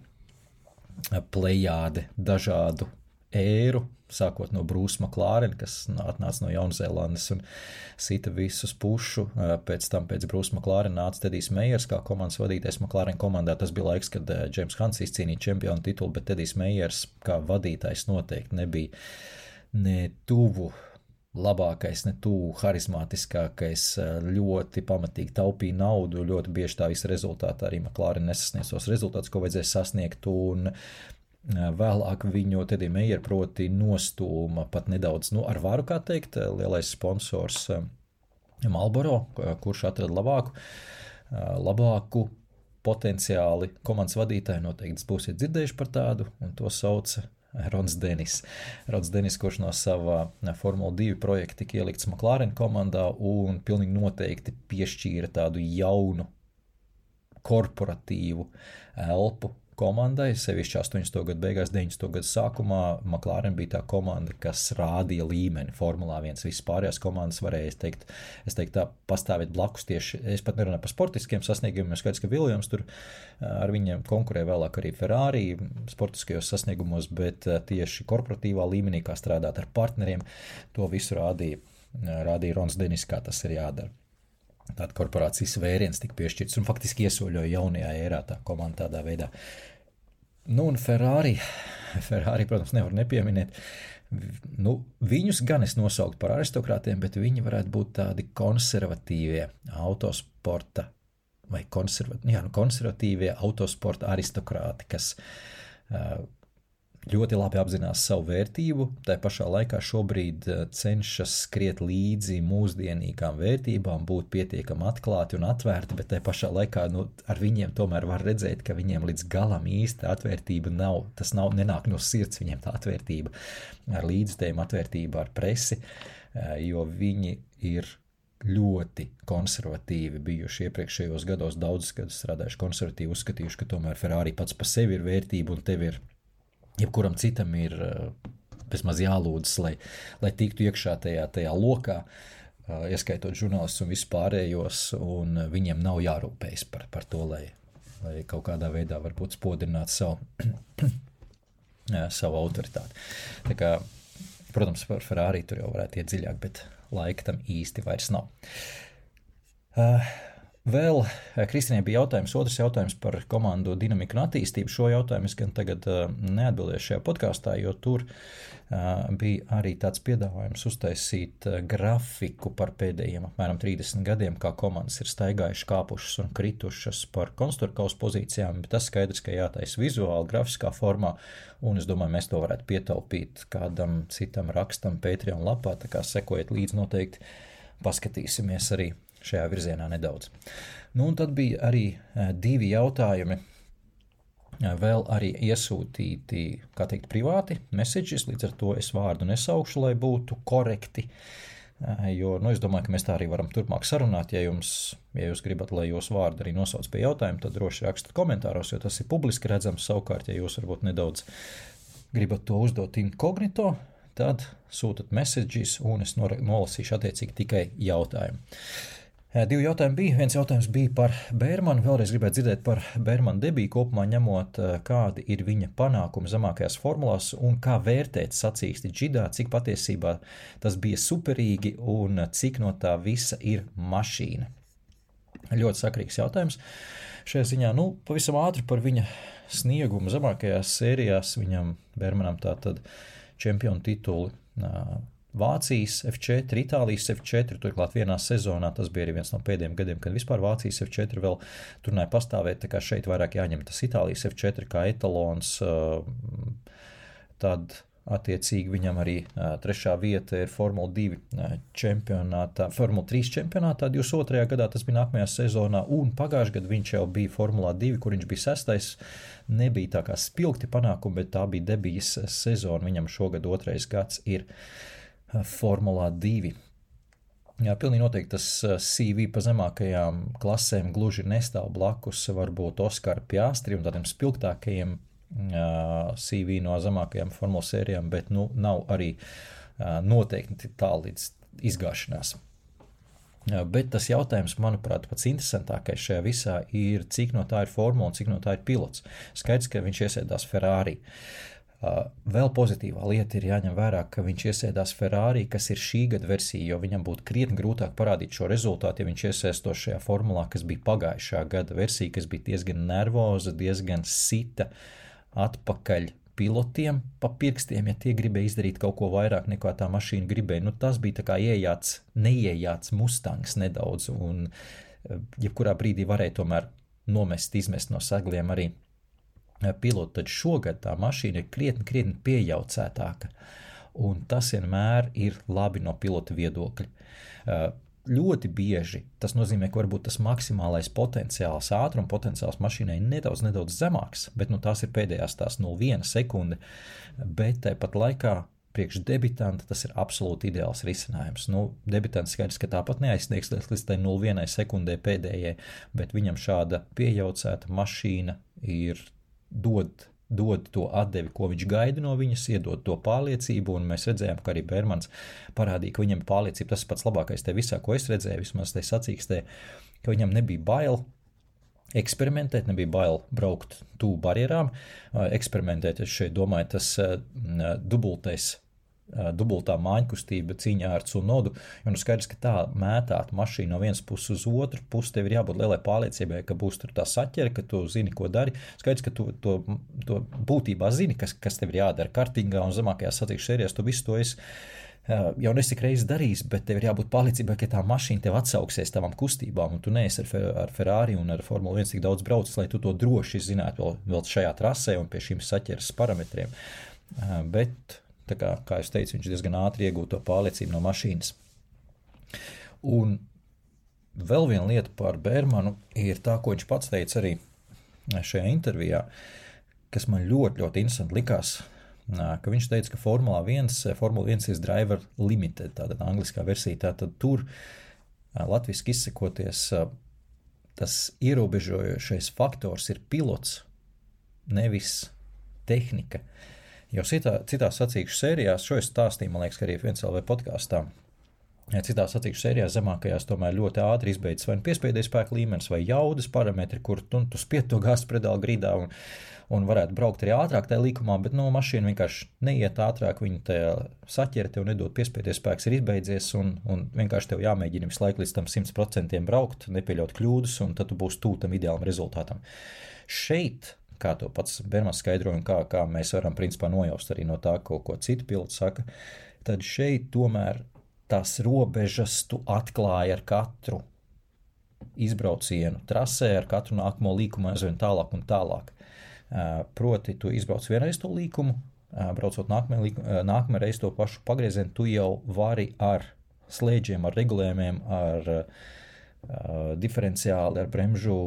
plejāde dažādu ēru, sākot no Bruce McLaren, kas atnāca no Jaunzēlandes un sita visus pušu. Pēc tam pēc Bruce McLaren nāca Tedijs Meiers kā komandas vadītājs McLaren komandā. Tas bija laiks, kad James Hunts izcīnīja čempionu titulu, bet Tedijs Meiers kā vadītājs noteikti nebija ne tuvu labākais, ne tuvu harizmātiskākais, ļoti pamatīgi taupīja naudu, ļoti bieži tā visa rezultātā arī McLaren nesasniedz tos rezultātus, ko vajadzēja sasniegt, un vēlāk viņu Tedija Meijer proti nostūma pat nedaudz, ar varu, kā teikt, lielais sponsors Marlboro, kurš atrada labāku potenciāli komandas vadītāju, noteikti būsiet dzirdējuši par tādu, un to sauca Rons Denis. Rons Denis, kurš no sava Formula 2 projekta tika ielikts McLaren komandā un pilnīgi noteikti piešķīra tādu jaunu korporatīvu elpu komandai, sevišķi 80. gadu beigās, 90. gadu sākumā. McLaren bija tā komanda, kas rādīja līmeni Formulā 1. Visas pārējās komandas varēja, es teiktu tā, pastāvēt blakus tieši, es pat nerunāju par sportiskiem sasniegumiem, skaidrs, ka Williams tur ar viņiem konkurē vēlāk arī Ferrari sportiskajos sasniegumos, bet tieši korporatīvā līmenī, kā strādāt ar partneriem, to visu rādīja Rons Denis, kā tas ir jādara. Tāda korporācijas vēriens tika piešķirts un faktiski iesoļoja jaunajā ērā tā komanda tādā veidā. Un Ferrari, protams, nevar nepieminēt. Viņus gan es nosauktu par aristokrātiem, bet viņi varētu būt tādi konservatīvie autosporta vai konservatīvie autosporta aristokrāti, kas ļoti labi apzinās savu vērtību, tā pašā laikā šobrīd cenšas skriet līdzi mūsdienīgām vērtībām, būt pietiekami atklāti un atvērti, bet tā pašā laikā ar viņiem tomēr var redzēt, ka viņiem līdz galam īsta atvērtība nav, nenāk no sirds viņiem tā atvērtība ar līdzstējumu, atvērtība ar presi, jo viņi ir ļoti konservatīvi bijuši iepriekšējos gados, daudzus gadus strādājuši konservatīvi, uzskatījuši, ka tomēr Ferrari pats par sevi ir vērtība un tev ir jebkuram citam ir bezmaz jālūdzas, lai tiktu iekšā tajā lokā, ieskaitot žurnālistus un vispārējos, un viņiem nav jārūpējas par to, lai kaut kādā veidā varbūt spodrināt savu autoritāti. Tā kā, protams, par Ferrari tur jau varētu iet dziļāk, bet laika tam īsti vairs nav. Vēl Kristīnai bija otrs jautājums par komandu dinamiku un attīstību. Šo jautājumu es gan tagad neatbildēšu šajā podkāstā, jo tur bija arī tāds piedāvājums uztaisīt grafiku par pēdējiem apmēram 30 gadiem, kā komandas ir staigājušas, kāpušas un kritušas par konstrukcijas pozīcijām, bet tas skaidrs, ka jātaisa vizuāli, grafiskā formā, un es domāju, mēs to varētu pietaupīt kādam citam rakstam Patreon lapā, tā kā sekojiet līdzi noteikti, paskatīsimies arī šajā virzienā nedaudz. Un tad bija arī 2 jautājumi, vēl arī iesūtīti, kā teikt, privāti messages, līdz ar to es vārdu nesaukšu, lai būtu korekti, jo, es domāju, ka mēs tā arī varam turpmāk sarunāt, ja jūs gribat, lai jūs vārdu arī nosauc pie jautājumu, tad droši rakstat komentāros, jo tas ir publiski redzams, savukārt, ja jūs varbūt nedaudz gribat to uzdot inkognito, tad sūtat messages un es nolasīšu attiecīgi tikai jautājumu. 2 jautājumi bija. Viens jautājums bija par Bērmanu. Vēlreiz gribētu dzirdēt par Bērmanu debiju kopumā ņemot, kādi ir viņa panākumi zemākajās formulās un kā vērtēt sacīksti džidā, cik patiesībā tas bija superīgi un cik no tā visa ir mašīna. Ļoti sakrīgs jautājums. Šajā ziņā, pavisam ātri par viņa sniegumu zemākajās sērijās. Viņam Bērmanam tātad čempionu tituli Vācijas F4, Itālijas F4, turklāt vienā sezonā, tas bija arī viens no pēdējiem gadiem, kad vispār Vācijas F4 vēl turnēja pastāvēt, tā kā šeit vairāk jāņem tas Itālijas F4 kā etalons, tad attiecīgi viņam arī 3. vieta ir Formula 2 čempionātā, Formula 3 čempionātā 22. gadā, tas bija nākamajā sezonā, un pagājušajā gadā viņš jau bija Formulā 2, kur viņš bija 6. Nebija tā kā spilgti panākumi, bet tā bija debijas sezona, viņam šogad 2. gads ir Formulā 2. Jā, pilnīgi noteikti tas CV pa zemākajām klasēm gluži nestāv blakus, varbūt Oskara Piastri un tādiem spilgtākajiem CV no zemākajām formula sērijām, bet nav arī noteikti tālu līdz izgāšanās. Bet tas jautājums, manuprāt, pats interesantākais šajā visā ir, cik no tā ir formula un cik no tā ir pilots. Skaidrs, ka viņš iesēdās Ferrari. Vēl pozitīvā lieta ir jāņem vērā, ka viņš iesēdās Ferrari, kas ir šī gada versija, jo viņam būtu krietni grūtāk parādīt šo rezultātu, ja viņš iesēstos šajā formulā, kas bija pagājušā gada versija, kas bija diezgan nervoza, diezgan sita atpakaļ pilotiem pa pirkstiem, ja tie gribēja izdarīt kaut ko vairāk nekā tā mašīna gribēja. Nu, tas bija tā kā neiejāts Mustangs nedaudz, un jebkurā brīdī varēja tomēr izmest no segliem arī pilotu. Tad šogad tā mašīna ir krietni piejaucētāka, un tas vienmēr ir labi no pilota viedokļa. Ļoti bieži tas nozīmē, ka varbūt tas maksimālais potenciāls, ātruma potenciāls mašīnai nedaudz zemāks, bet tās ir pēdējās 0,1 sekunde, bet tāpat laikā priekš debitanta tas ir absolūti ideāls risinājums. Debitants skaidrs, ka tāpat neaizsniegs līdz tai 0,1 sekundē pēdējai, bet viņam šāda piejaucēta mašīna ir dod to atdevi, ko viņš gaida no viņas, iedod to pārliecību, un mēs redzējām, ka arī Bērmans parādīja, ka viņam ir pārliecība. Tas pats labākais te visā, ko es redzēju, vismaz te sacīkstē, ka viņam nebija bail eksperimentēt, nebija bail braukt tuvu barjerām, eksperimentēt, es šeit domāju, tas dubultā māņkustība cīņā ar Tsunodu, jo skaidrs, ka tā mētāt mašīnu no vienas puses uz otru pusi, tev ir jābūt lielai pārliecībai, ka būs tur tā saķere, ka tu zini, ko dari. Skaidrs, ka tu to būtībā zini, kas tev ir jādara kartingā un zemākajās sacīkšu sērijās, tu visu to esi jau nesik reizes darījis, bet tev ir jābūt pārliecībai, ka tā mašīna tev atsauksies tavām kustībām, un tu neesi ar Ferrari un ar Formula 1 tik daudz braucis, lai tu to droši zinātu vēl šajā trasē un pie šīm saķeres parametriem. Bet tā kā es teicu, viņš diezgan ātri iegūto pārliecību no mašīnas. Un vēl viena lieta par Bērmanu ir tā, ko viņš pats teica arī šajā intervijā, kas man ļoti interesanti likās, ka viņš teica, ka Formula 1 ir driver limited, tāda angliskā versija, tātad tur latviski izsakoties, tas ierobežojošais faktors ir pilots, nevis tehnika. Jo citās sacīkšu sērijās, šo es stāstīju, man liekas, ka arī 1LV podkāstā, citās sacīkšu sērijās zemākajās tomēr ļoti ātri izbeidzas vai piespēdēja spēka līmenis vai jaudas parametri, kur tu spied to gāzes pedāli grīdā un varētu braukt arī ātrāk tajā līkumā, bet mašīna vienkārši neiet ātrāk, viņa tajā saķere tev nedod piespēdēja spēks ir izbeidzies un vienkārši tev jāmēģina visu laiku līdz tam 100% braukt, nepieļaut kļūdas, un tad tu būsi tuvu tam ideālam rezultātam. Šeit, kā to pats Bērmans skaidroja un kā mēs varam principā nojaust arī no tā, ko citu piloti saka, tad šeit tomēr tās robežas tu atklāji ar katru izbraucienu trasē, ar katru nākamo līkumu aizvien tālāk un tālāk. Proti, tu izbrauc vienreiz to līkumu, braucot nākamā reiz to pašu pagriezienu, tu jau vari ar slēdžiem, ar regulējumiem, ar diferenciāli, ar bremžu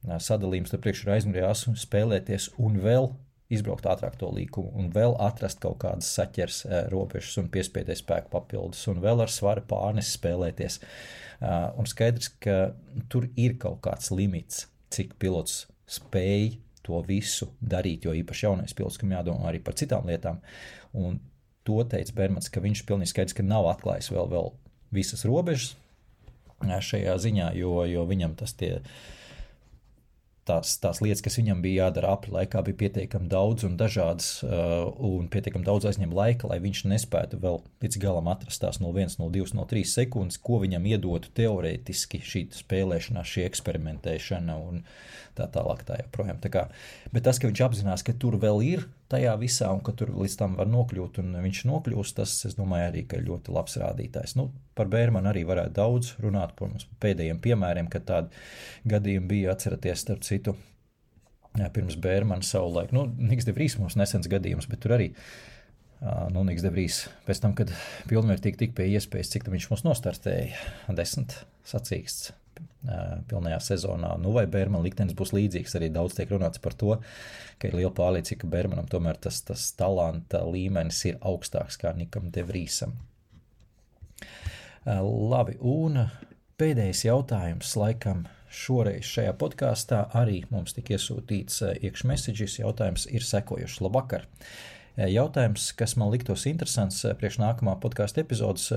sadalījums tur priekš ar aizmugurējās spēlēties un vēl izbraukt ātrāk to līkumu un vēl atrast kaut kādas saķers robežas un piespēdēja spēku papildus un vēl ar svara pārnesi spēlēties. Un skaidrs, ka tur ir kaut kāds limits, cik pilots spēj to visu darīt, jo īpaši jaunais pilots, kam jādomā arī par citām lietām. Un to teica Bērmans, ka viņš pilnīgi skaidrs, ka nav atklājis vēl visas robežas šajā ziņā, jo viņam tās lietas, kas viņam bija jādara apli laikā, bija pietiekami daudz un dažādas un pietiekami daudz aizņem laika, lai viņš nespētu vēl līdz galam atrast tās 0,1, 0,2, 0,3 sekundes, ko viņam iedotu teorētiski šī spēlēšanā, šī eksperimentēšana un tā tālāk tā joprojām. Bet tas, ka viņš apzinās, ka tur vēl ir tajā visā un ka tur līdz tam var nokļūt un viņš nokļūst, tas, es domāju, arī, ka ļoti labs rādītājs. Par Bērmanu arī varētu daudz runāt par mums pēdējiem piemēriem, kad tādi gadījumi bija, atceraties starp citu, pirms Bērmana savulaik. Niks de Vries mums nesens gadījums, bet tur arī Niks de Vries pēc tam, kad pilnvērtīgi tik pie iespējas, cik tam viņš mums nostartēja, 10 sacīksts pilnajā sezonā. Vai Bērmana liktenis būs līdzīgs, arī daudz tiek runāts par to, ka ir liela pārliecība, ka Bērmanam tomēr tas talanta līmenis ir augstāks kā Nikam de Vriesam. Labi, un pēdējais jautājums laikam šoreiz šajā podkāstā arī mums tika iesūtīts iekšmessages. Jautājums ir sekojušs. Labvakar! Jautājums, kas man liktos interesants priekš nākamā podkāsta epizodes,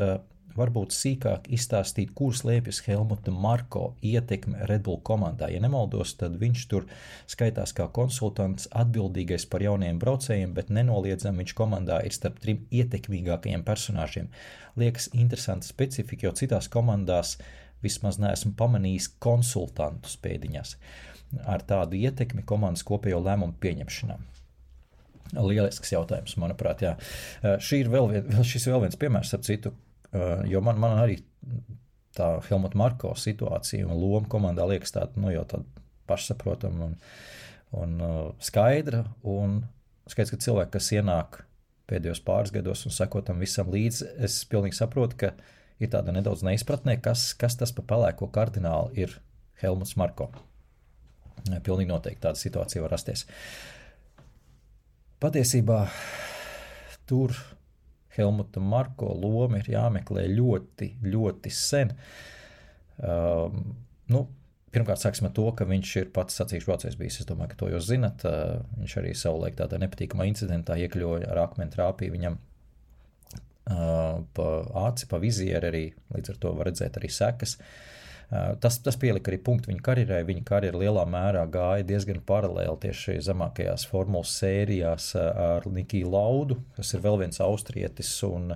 varbūt sīkāk izstāstīt, kur slēpjas Helmuta Marko ietekme Red Bull komandā. Ja nemaldos, tad viņš tur skaitās kā konsultants atbildīgais par jauniem braucējiem, bet nenoliedzami viņš komandā ir starp 3 ietekmīgākajiem personāžiem. Liekas interesanta specifika, jo citās komandās vismaz neesmu pamanījis konsultantu pēdiņās ar tādu ietekmi komandas kopējo lēmumu pieņemšanā. Lielisks jautājums, manuprāt, jā. Šis vēl viens piemērs ar citu, jo man arī tā Helmuta Marko situācija un loma komandā liekas tāda, jau tāda pašsaprotama un skaidra, un skaidrs, ka cilvēki, kas ienāk pēdējos pāris gados un seko tam visam līdzi, es pilnīgi saprotu, ka ir tāda nedaudz neizpratnē, kas tas pa pelēko kardināli ir Helmuts Marko. Pilnīgi noteikti tāda situācija var rasties. Patiesībā tur Helmuta Marko loma ir jāmeklē ļoti, ļoti sen. Pirmkārt, sāksim ar to, ka viņš ir pats sacīkšu braucējs bijis. Es domāju, ka to jūs zinat. Viņš arī savulaik tādā nepatīkamā incidentā iekļoja ar akmeni trāpīja viņam pa aci, pa vizieri arī, līdz ar to var redzēt arī sekas. Tas pielika arī punktu viņa karjerai. Viņa karjera lielā mērā gāja diezgan paralēli tieši zemākajās formulas sērijās ar Nikiju Laudu, kas ir vēl viens austrietis, un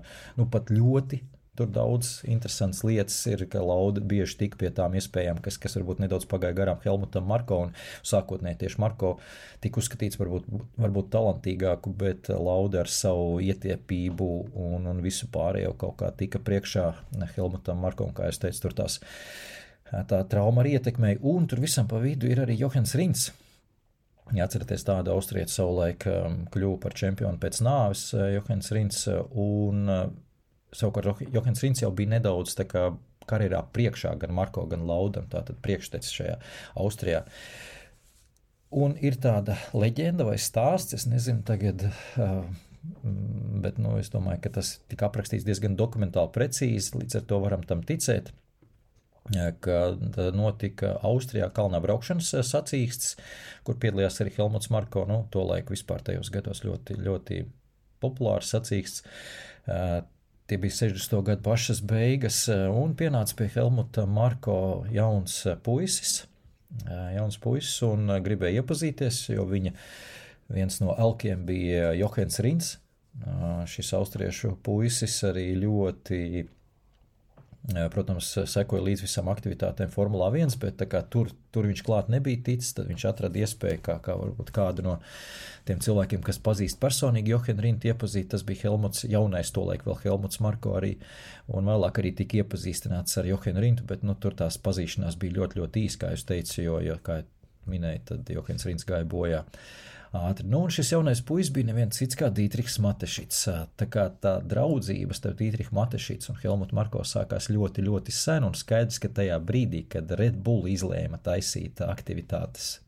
pat ļoti tur daudz interesants lietas ir, ka Lauda bieži tik pie tām iespējām, kas varbūt nedaudz pagāja garām Helmutam Marko, un sākotnēji tieši Marko tika uzskatīts varbūt talantīgāku, bet Lauda ar savu ietiepību un visu pārējo kaut kā tika priekšā Helmutam Marko, un kā es teicu, tur tā trauma arī ietekmēja, un tur visam pa vidu ir arī Johans Rinds. Ja atceraties, tāda austrieta savulaik kļuva par čempionu pēc nāves, Johans Rinds, un savukārt Johans Rinds jau bija nedaudz tā kā karjerā priekšā gan Marko, gan Laudam, tātad priekštecis šajā Austrijā. Un ir tāda leģenda vai stāsts, es nezinu tagad, bet es domāju, ka tas tika aprakstīts diezgan dokumentāli precīzi, līdz ar to varam tam ticēt, kad notika Austrijā kalnā braukšanas sacīksts, kur piedalījās arī Helmuts Marko, to laiku vispār tajos gados ļoti, ļoti populārs sacīksts. Tie bija 60. gadu pašas beigas, un pienāca pie Helmuta Marko jauns puisis, un gribēja iepazīties, jo viņa viens no elkiem bija Johans Rinds. Šis austriešu puisis arī ļoti, protams, sekoja līdz visam aktivitātēm Formulā 1, bet tā kā tur viņš klāt nebija ticis, tad viņš atrada iespēju, kā varbūt kādu no tiem cilvēkiem, kas pazīst personīgi Johanu Rindu iepazīt, tas bija Helmuts, jaunais tolaik vēl Helmuts Marko arī, un vēlāk arī tika iepazīstināts ar Johanu Rindu, bet tur tās pazīšanās bija ļoti, ļoti īs, kā jūs teicu, jo kā minēju, tad Johans Rinds gāja bojā ātri. Un šis jaunais puisis bija neviens cits kā Dītrihs Matešits. Tā kā tā draudzība starp Dītrihu Matešits un Helmutu Marko sākās ļoti, ļoti sen, un skaidrs, ka tajā brīdī, kad Red Bull izlēma taisīt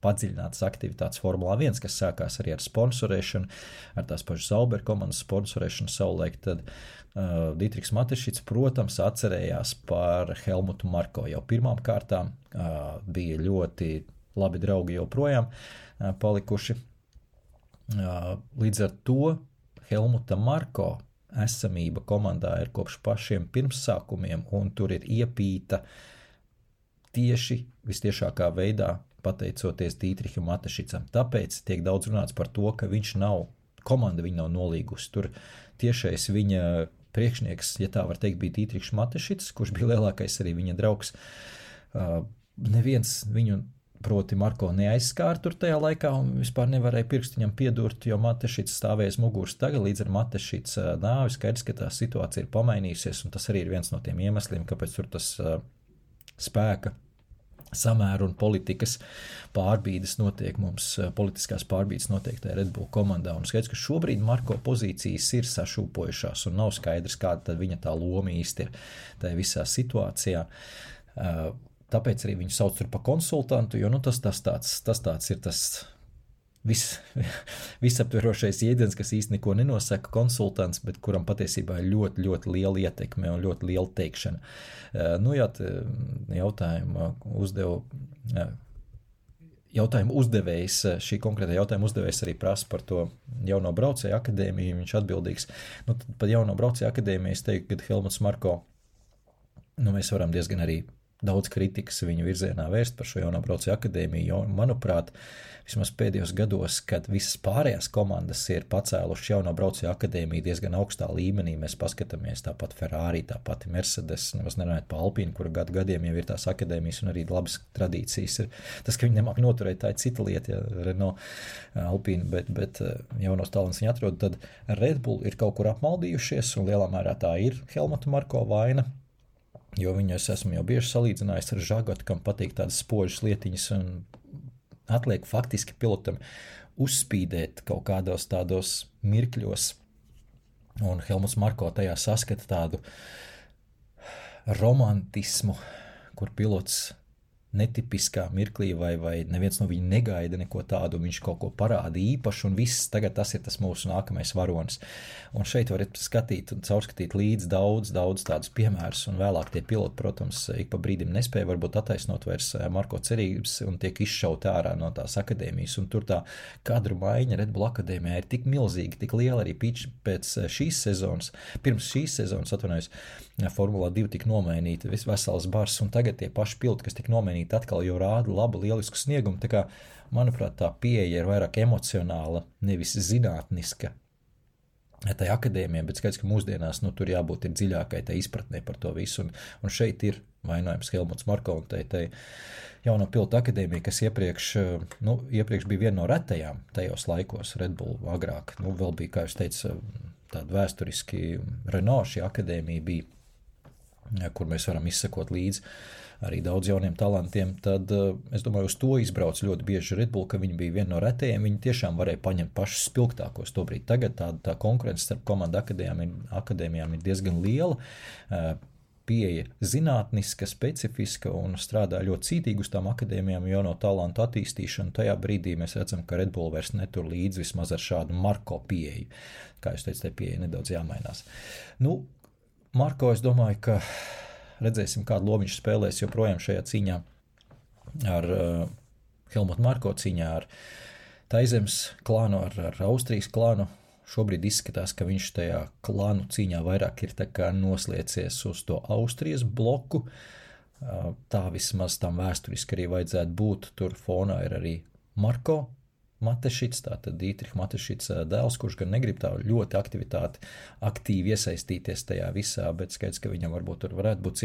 padziļinātas aktivitātes Formulā 1, kas sākās arī ar sponsorēšanu, ar tās pašas Sauber komandas sponsorēšanu savulaik, tad Dītrihs Matešits, protams, atcerējās par Helmutu Marko. Jau pirmām kārtām bija ļoti labi draugi joprojām palikuši. Līdz ar to Helmuta Marko esamība komandā ir kopš pašiem pirmsākumiem, un tur ir iepīta tieši vistiešākā veidā pateicoties Dītriham Matešicam. Tāpēc tiek daudz runāts par to, ka komanda viņa nav nolīgusi. Tur tiešais viņa priekšnieks, ja tā var teikt, bija Dītrihs Matešits, kurš bija lielākais arī viņa draugs. Neviens viņu proti Marko neaizskāra tur tajā laikā un vispār nevarēja pirkstu viņam piedurt, jo Matešits stāvējas muguras tagad, līdz ar Matešits nāvi skaidrs, ka tā situācija ir pamainījusies, un tas arī ir viens no tiem iemesliem, kāpēc tur tas spēka samēru un politikas pārbīdes notiek mums, politiskās pārbīdes notiek tajā Red Bull komandā, un skaidrs, ka šobrīd Marko pozīcijas ir sašūpojušās, un nav skaidrs, kāda tad viņa tā loma īsti ir tajā visā situācijā. Tāpēc arī viņu sauc tur pa konsultantu, jo tas tāds ir tas visaptverošais jēdziens, kas īsti neko nenosaka konsultants, bet kuram patiesībā ir ļoti, ļoti liela ietekme un ļoti liela teikšana. Jautājumu uzdevējs, šī konkrēta jautājuma uzdevējs arī prasa par to jauno braucēju akadēmiju, viņš atbildīgs. Tad par jauno braucēju akadēmiju es teiktu, ka Helmuts Marko mēs varam diezgan arī daudz kritikas viņu virzienā vērst par šo jauno braucēju akadēmiju, jo, manuprāt, vismaz pēdējos gados, kad visas pārējās komandas ir pacēluši jauno braucēju akadēmiju diezgan augstā līmenī, mēs paskatāmies tāpat Ferrari, tāpat Mercedes, nemaz nerunājot par Alpīnu, kura gadiem jau ir tās akadēmijas un arī labas tradīcijas ir. Tas, ka viņi nemāk noturēt, tā ir cita lieta, ja Renault, Alpīna, bet jaunos talants viņi atrod, tad Red Bull ir kaut kur apmaldījušies, un lielā mērā tā ir Helmuta Marko vaina, jo viņu es esmu jau bieži salīdzinājis ar Žagotu, kam patīk tādas spožas lietiņas, un atliek faktiski pilotam uzspīdēt kaut kādos tādos mirkļos, un Helmuts Marko tajā saskata tādu romantismu, kur pilots netipiskā mirklī vai neviens no viņa negaida neko tādu, viņš kaut ko parāda īpašu, un viss tagad tas ir tas mūsu nākamais varonis. Un šeit var skatīt un caurskatīt līdz daudz tādus piemērus, un vēlāk tie piloti, protams, ik pa brīdim nespēja varbūt attaisnot vairs Marko cerības un tiek izšauti ārā no tās akadēmijas, un tur tā kadru maiņa Red Bull akadēmijā ir tik milzīga, tik liela arī pēc šīs sezonas, pirms šīs sezonas, atvainojos, Formulā 2 tika nomainīta vesels bars, un tagad tie paši piloti, kas tika nomainīti, atkal jau rāda labu, lielisku sniegumu, tā kā, manuprāt, tā pieeja ir vairāk emocionāla, nevis zinātniska tai akadēmijai, bet skaidrs, ka mūsdienās, tur jābūt ir dziļākai tai izpratnē par to visu, un šeit ir vainojams Helmuts Marko un tai jauno pilotu akadēmija, kas iepriekš bija viena no retajām tajos laikos Red Bull agrāk, vēl bija, kā jūs teicu, tāda vēsturiski Renault šī akadēmija bija, kur mēs varam izsekot līdzi arī daudz jauniem talantiem, tad es domāju, uz to izbrauc ļoti bieži Red Bull, ka viņi bija viena no retajiem, viņi tiešām varēja paņemt pašus spilgtākos to brīdi. Tagad tā konkurence starp komandu akadēmijām ir diezgan liela, pieeja zinātniska, specifiska un strādā ļoti cītīgi uz tām akadēmijām jauno talantu attīstīšanu. Tajā brīdī mēs redzam, ka Red Bull vairs netur līdzi vismaz ar šādu Marko pieeju. Kā jūs teicat, tai pieeja nedaudz jāmainās. Marko, es domāju, ka redzēsim, kādu lomu viņš spēlēs joprojām šajā cīņā ar Helmutu Marko, cīņā ar Taizemes klānu, ar Austrijas klānu. Šobrīd izskatās, ka viņš tajā klānu cīņā vairāk ir tā kā nosliecies uz to Austrijas bloku. Tā vismaz tam vēsturiski arī vajadzētu būt. Tur fonā ir arī Marko Matešits, tātad Dietrich Matešits dēls, kurš gan negrib tā ļoti aktīvi iesaistīties tajā visā, bet skaidrs, ka viņam varbūt tur varētu būt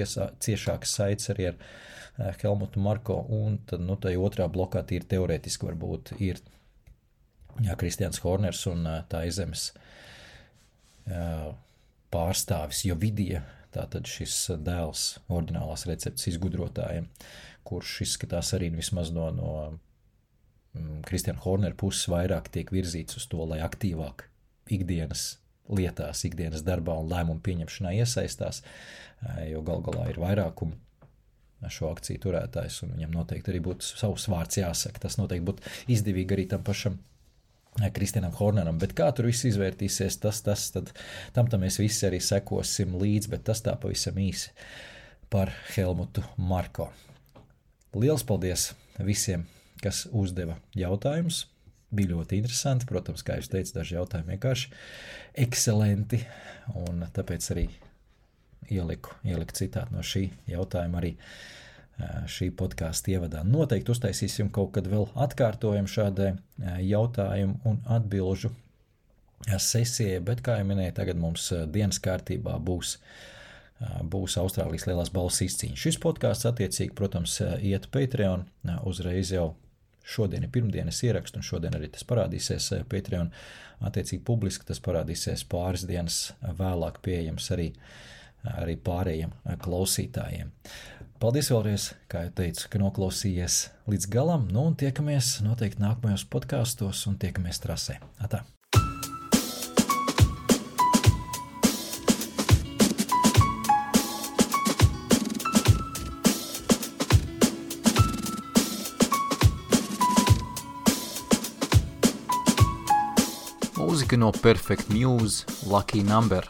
ciešāks saites arī ar Helmutu Marko, un tad, tai otrā blokā tīri teorētiski varbūt ir Kristians Horners un Taizemes pārstāvis Jovidija, tātad šis dēls oriģinālās receptes izgudrotājiem, kurš izskatās arī vismaz no Kristiana Hornera puses vairāk tiek virzīts uz to, lai aktīvāk ikdienas lietās, ikdienas darbā un lēmumu pieņemšanā iesaistās, jo galā ir vairākumu šo akciju turētājs, un viņam noteikti arī būtu savs vārds jāsaka. Tas noteikti būtu izdevīgi arī tam pašam Kristianam Horneram, bet kā tur viss izvērtīsies, tad tam mēs visi arī sekosim līdzi, bet tas tā pavisam īsi par Helmutu Marko. Liels paldies visiem, kas uzdeva jautājumus. Bija ļoti interesanti, protams, kā jūs teicat, daži jautājumi vienkārši ekscelenti, un tāpēc arī ieliku citātu no šī jautājuma arī šī podkāsta ievadā. Noteikti uztaisīsim kaut kad vēl atkārtojumu šādai jautājumu un atbilžu sesijai, bet, kā jau minēju, tagad mums dienas kārtībā būs Austrālijas lielās balvas izcīņa. Šis podkāsts attiecīgi, protams, iet Patreon, uzreiz jau šodien ir pirmdienas ierakstu, un šodien arī tas parādīsies Patreon, attiecīgi publiski tas parādīsies pāris dienas vēlāk pieejams arī pārējiem klausītājiem. Paldies vēlreiz, kā jau teicu, ka noklausījies līdz galam, un tiekamies noteikti nākamajos podkāstos un tiekamies trasē. Atā! Mūzika no Perfect Muse, Lucky Number.